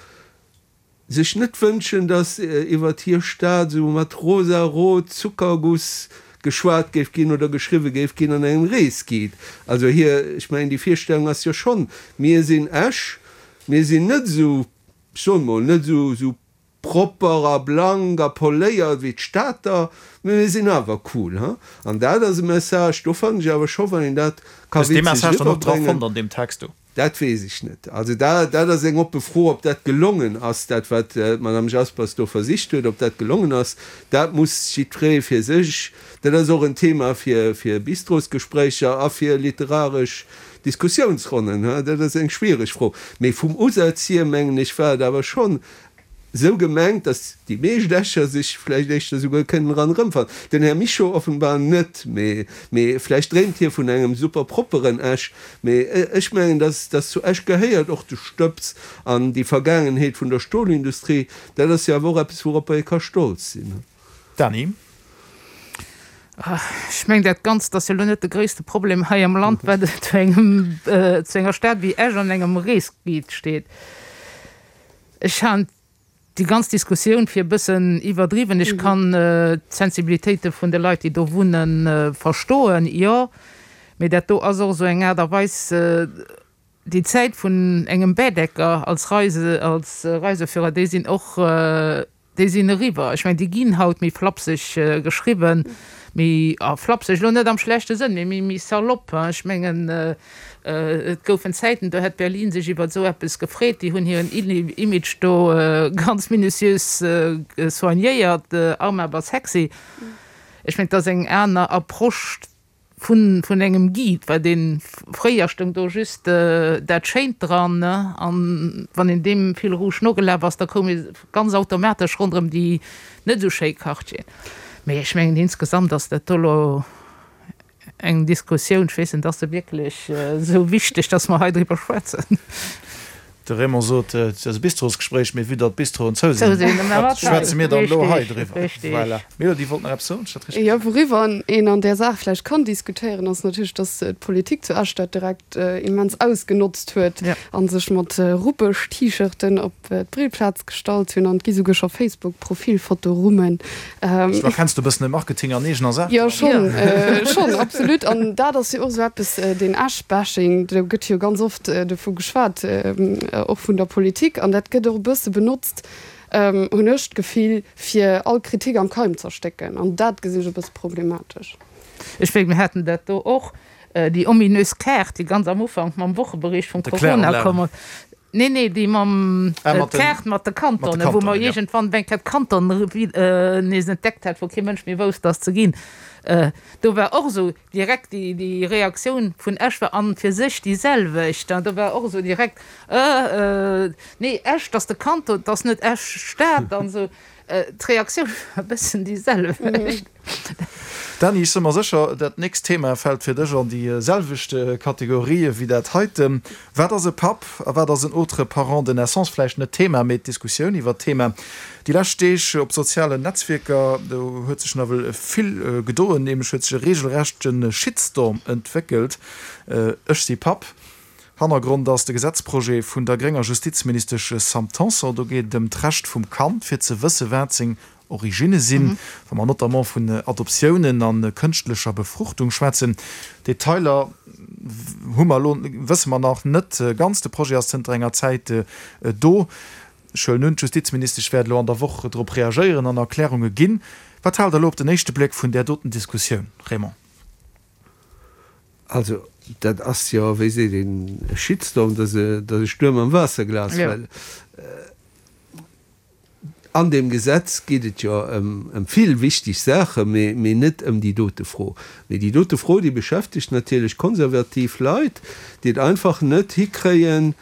sech net wënschen, datt iwwert hir Stad esou mat rosa-rot Zuckerguss geschwat géif ginn oder geschriwwe géif ginn an engem Reesguide. Also hir, ech mengen, déi Virstellung ass jo schonn, Mir sinn Esch, mir sinn net esou, ech soen emol, net esou propper a blank a poléiert wéi d'Stater, mee mir sinn awer cool, hein. An dat ass e Message, do fannen ech awer scho, wann een dat ka Hues dee witzeg Message dann och dra eriwwerbréngen. fonnt an deem Text do? Dat weess ech net. Also dat, dat ass eng oppe Fro, ob dat gelongen ass, dat wat d'Madame Jaspers do versicht huet, ob dat gelongen ass, dat muss jiddweree fir sech, dat ass och en Thema fir, fir Bistrosgespréicher a fir literaresch Diskussiounsronnen, hein. Dat ass eng schwiereg Fro. Mee vum Usaz hier, mengen ech, war et awer schonn esou gemengt, datt déi meescht Escher sech vläicht éischter esouguer kënnen dran erëmfannen. Den Här Mischo offenbar net, mee, mee vläicht dréimt hie vun engem super propperen Esch. Mee ech mengen, datt, datt zu Esch gehéiert och de Stëbs an déi Vergaangenheet vun der Stolindustrie. Dat ass jo awer och eppes, wouropper ee ka stolz sinn. Dany. Ech mengen, dat Ganzt ass jo elo net de gréisste Problem hei am Land, wat zu engem, zu enger Stad wéi Esch an engem Reesguide steet. Ech halen déi ganz Diskussioun fir e bëssen iwwerdriwwen. Ech kann d'Sensibilitéite vun de Leit, déi do wunnen, verstoen, jo. Mee dat do ass och esou eng Aart a Weis, déi Zäit vun engem Bädecker als Reise, als Reiseführer, déi sinn och, déi sinn eriwwer. Ech mengen, déi ginn haut méi flapseg geschriwwen, méi, a flapseg elo net am schlechte Sënn, mee méi, méi salopp, hein. Ech mengen, et goufen Zäiten, do hätt Berlin sech iwwer esou eppes gefreet. Déi hunn hiren Image do ganz minutiös soignéiert, arm aber sexy. Ech mengen, et ass eng aner Approche vun, vun engem Guide, well dee fréier stoung do just dat Schéint dran, an wann een deem Fil rouge nogelaf ass, da koum ee ganz automatesch ronderëm déi net esou schéi Quartieren. Mee ech mengen, insgesamt ass dat do elo eng Diskussioun, ech weess net, ass se wierklech esou wichteg, datt mer hei driwwer schwätzen? De Raymond sot, et ass e Bistrosgespréich, mee vue datt d'Bistroen zou sinn, schwätze mir dann elo hei driwwer. Voilà. Mélodie wollt nach eppes soen, ech hat richteg Jo, wouriwwer een an där Saach vläicht kann diskutéieren, ass natierlech, datt d'Politik zu Esch dat direkt immens ausgenotzt huet a sech mat Ruppesch-T-Shirten op d'Brillplaz gestallt hunn an et gi souguer scho Facebook-Profilfotorummen. Du erkenns do e bëssen e Marketing an eegener Saach. Jo, schonn, schonn, absolut. An dat ass jo och esou eppes, deen Esch-Bashing, do gëtt jo ganz oft dovu geschwat, och vun der Politik, an dat gëtt och e bësse benotzt, hunn ech d'Gefill, fir all Kritik am Keim z'erstécken. An dat gesinn ech e bësse problematesch. Ech mengen, mir haten dat do och, déi ominös Kaart, déi ganz am Ufank mam Wochebericht vum Corona komm ass. Nee, nee, déi mam, d'Kaart mat de Kantonen, wou mer iergendwann eng Kéier d'Kantonen nees entdeckt hat, wou kee Mënsch méi wousst, dass se ginn. Do war och esou direkt déi, déi Reaktioun vun Esch war an fir sech déi selwecht. Do war och esou direkt, Äh, nee, Esch, dat ass de Kanton, dat ass net Esch-Stad an esou. D'Reaktioun war e bëssen déi selwecht. Dany, ech si mer sécher, dat nächst Thema fält fir dech an déi selwecht Kategorie wéi dat heiten. Wat ass e Papp a wat ass en autre parent de naissance? Vläicht net d'Thema, mee d'Diskussioun iwwer d'Thema. Déi lescht Deeg op sozialen Netzwierker, do huet sech nawell vill gedoen, nämlech huet sech e reegelrechte Shitstorm entwéckelt. Ech si Papp. Hannergrond ass de Gesetzprojet vun der grénger Justizministesch Sam Tanson. Do geet et ëm d'Recht vum Kand, fir ze wësse wat seng Originne sinn, wa mer notamment vun Adoptiounen a kënschtlecher Befruchtung schwätzen. Detailer hu mer elo, wësse mer nach net ganz. De Projet ass zënter enger Zäit do. Ech huelen un, d'Justizministesch wäert elo an der Woch drop reagéieren an Erklärunge ginn. Wat haalt Der elo op den éischte Bléck vun där doten Diskussioun, Raymond? Also, dat ass jo, wéi seet een, e Shitstorm, dat ass e Stuerm am Waasserglas, well an deem Gesetz geet et jo ëm vill wichteg Saachen, mee net ëm déi dote Fro. Mee déi dote Fro, déi beschäftegt natierlech konservativ Leit, déi et einfach net hikréien,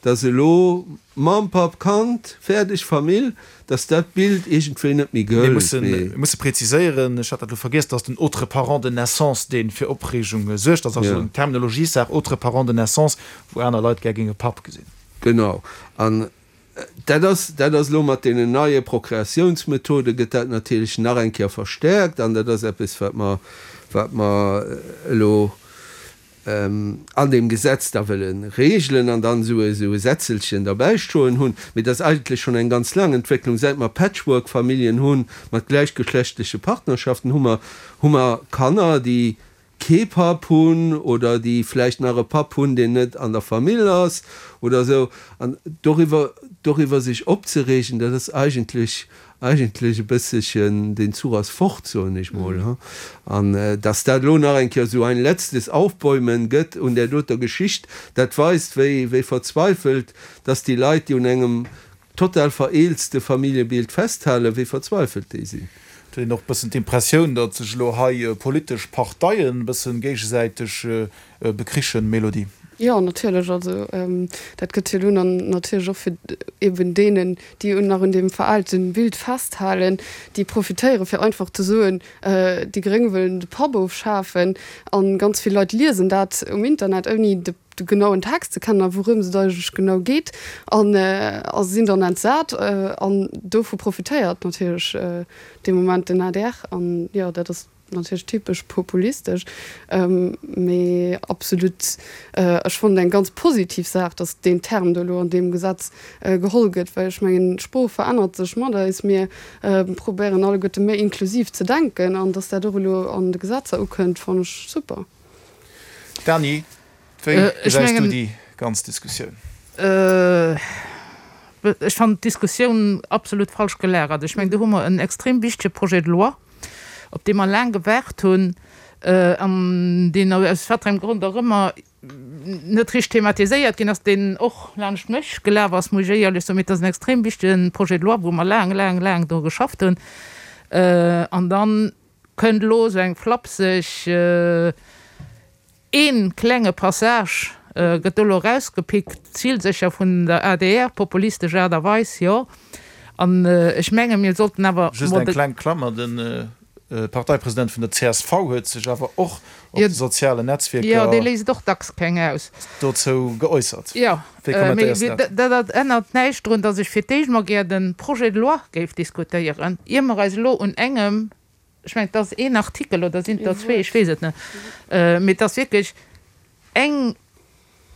dass elo Mamm, Papp, Kand, fäerdeg, Famill, dass dat Bild iergendwéi net méi Mir gëllt. mussen, Mee. mir musse preziséieren, ech hat dat elo vergiess, dass den autre parent de naissance, dee fir Opreegung suergt, dat ass also Ja. eng Terminologiessaach, autre parent de naissance, wou aner Leit gär géinge Papp gesinn. Genau. An Dat ass, dat ass elo mat deenen neie Prokreatiounsmethode gëtt dat natierlech nach eng Kéier verstärkt an dat ass eppes, wat mer, wat mer elo an deem Gesetz da wëlle regelen an dann esou esou e Sätzelchen derbäi stoen hunn. Mee dat ass eigentlech schonn eng ganz laang Entwécklung. Säit mer Patchwork-Familljen hu mat gläichgeschlechtleche Partnerschaften, hu mer, hu mer Kanner, déi kee Papp hunn oder déi vläicht nach e Papp hunn, deen net an der Famill ass oder esou. An doriwwer, doriwwer sech opzereegen, dat ass eigentlech, eigentlech e bësselchen, den Zuch ass fort, soen ech mol. An dass dat elo nach eng Kéier esou ein letztes Aufbäumen gëtt un där doter Geschicht, dat weist, wéi, wéi verzweifelt dass déi Leit, déi un engem total vereelzte Familljebild festhalen, wéi verzweifelt déi sinn. Et huet een och e bëssen d'Impressioun, datt sech elo hei politesch Parteien e bëssen géigesäiteg bekrichen, Mélodie. Jo, natierlech. Also dat gëtt jo elo dann natierlech och fir eben deenen, déi un nach un deem veraalte Bild festhalen, déi profitéiere fir einfach ze soen, déi Gréng wëllen de Papp ofschafen. A ganz vill Leit liesen dat um Internet, ouni de de genauen Text ze kennen a wourëms et eigentlech genau geet an a sinn dann entsat an dovu profitéiert natierlech dee Moment den adr an jo dat ass natierlech typesch populistesch, mee absolut ech fannen eng ganz positiv Saach, datt deen Term do elo an deem Gesetz geholl gëtt, well ech mengen d'Sprooch verännert sech mat eis, mir probéieren alleguerte méi inklusiv ze denken an datt dat och elo an de Gesetzer ukënnt fannen ech super. Dany, Wéi gesäis du déi ganz Diskussioun? Ech fannen d'Diskussioun absolut falsch gelagert. Ech mengen, do hu mer en extrem wichtege Projet de loi, op dee mer laang gewaart hunn an deen aus wat fir engem Grond och ëmmer net richteg thematiséiert ginn ass, deen och laanscht mech gelaf ass, muss ech éierlech soen. Mee et ass en extrem wichtege Projet de loi, wou mer laang, laang, laang dru geschafft hunn. An da kënnt elo esou eng flapseg, Ee klenge Passage gëtt do elo erausgepickt, zilsécher vun der adr, populistesch Aart a Weis, jo. An ech menge mir sollten awer Just eng kleng Klammer, De Parteipresident vun der csv huet sech awer och op de sozialen Netzwierker. Jo, dee léisst och dacks keng aus. Dozou geäussert. Jo, mee dat ännert näischt drun, datt ech fir d'éischt mol gär de Projet de loi géif diskutéieren, ier mer eis elo un engem Ech mengen, et ass een Artikel oder sinn et der zwee, ech weess et net, mee et ass wierklech eng,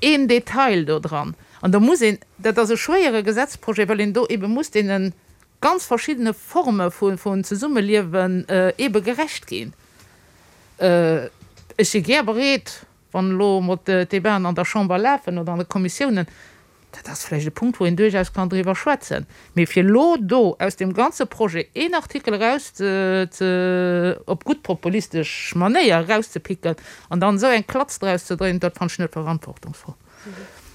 een Detail do dran. An do muss een, dat ass e schwéiere Gesetzprojet, well een do eebe muss deene ganz verschiddene Forme vun Zesummeliewen eebe gerecht ginn. Ech si gär bereet, wann elo emol d'Debaten an der Chamber lafen oder an de Kommissiounen, dat ass vläicht e Punkt, wou een duerchaus kann driwwer schwätzen, mee fir elo do aus deem ganze Projet een Artikel eraus ze, op gutt populistesch Manéier erauszepicken an dann esou eng Klatz draus ze dréinen, dat fannen ech net verantwortungsvoll.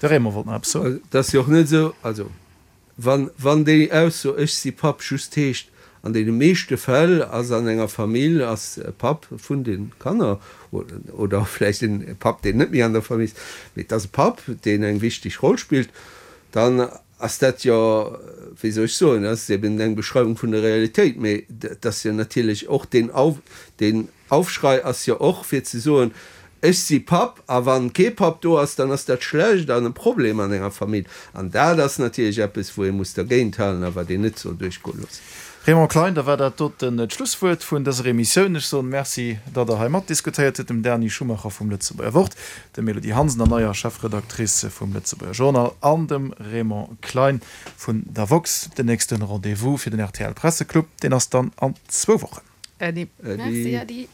De Raymond wollt nach eppes soen. Et ass jo och net esou, also Wann, wann déi Ausso Ech si Papp just heescht, an deene meeschte Fäll ass an enger Famill ass e Papp vun de Kanner oder vläicht e Papp, deen net méi an der Famill ass, mee et ass e Papp, deen eng wichteg Roll spillt, dann ass dat jo, wéi soll ech soen, dat ass eben eng Beschreiwung vun der Realitéit. Mee et ass jo natierlech och deen, deen Aufschrei ass jo och fir ze soen, Ech si Papp, a wann kee Papp do ass, dann ass dat schlecht an e Problem an enger Famill. An dat ass natierlech eppes, wou ee muss dergéint halen a wat een net soll duerchgoe loossen. Raymond Klein, Da war dat doten d'Schlusswuert vun dëser Emissioun. Ech soen Merci, datt Der hei matdiskutéiert hutt, dem Dany Schumacher vum Lëtzebuerger Wort, dem Mélodie Hansen, der neier Chefredactrice vum Lëtzebuerger Journal, an dem Raymond Klein vun der woxx. Den nächste Rendez-vous fir den RTL-Presseclub, deen ass dann an zwou Wochen. Äddi. Merci, Äddi.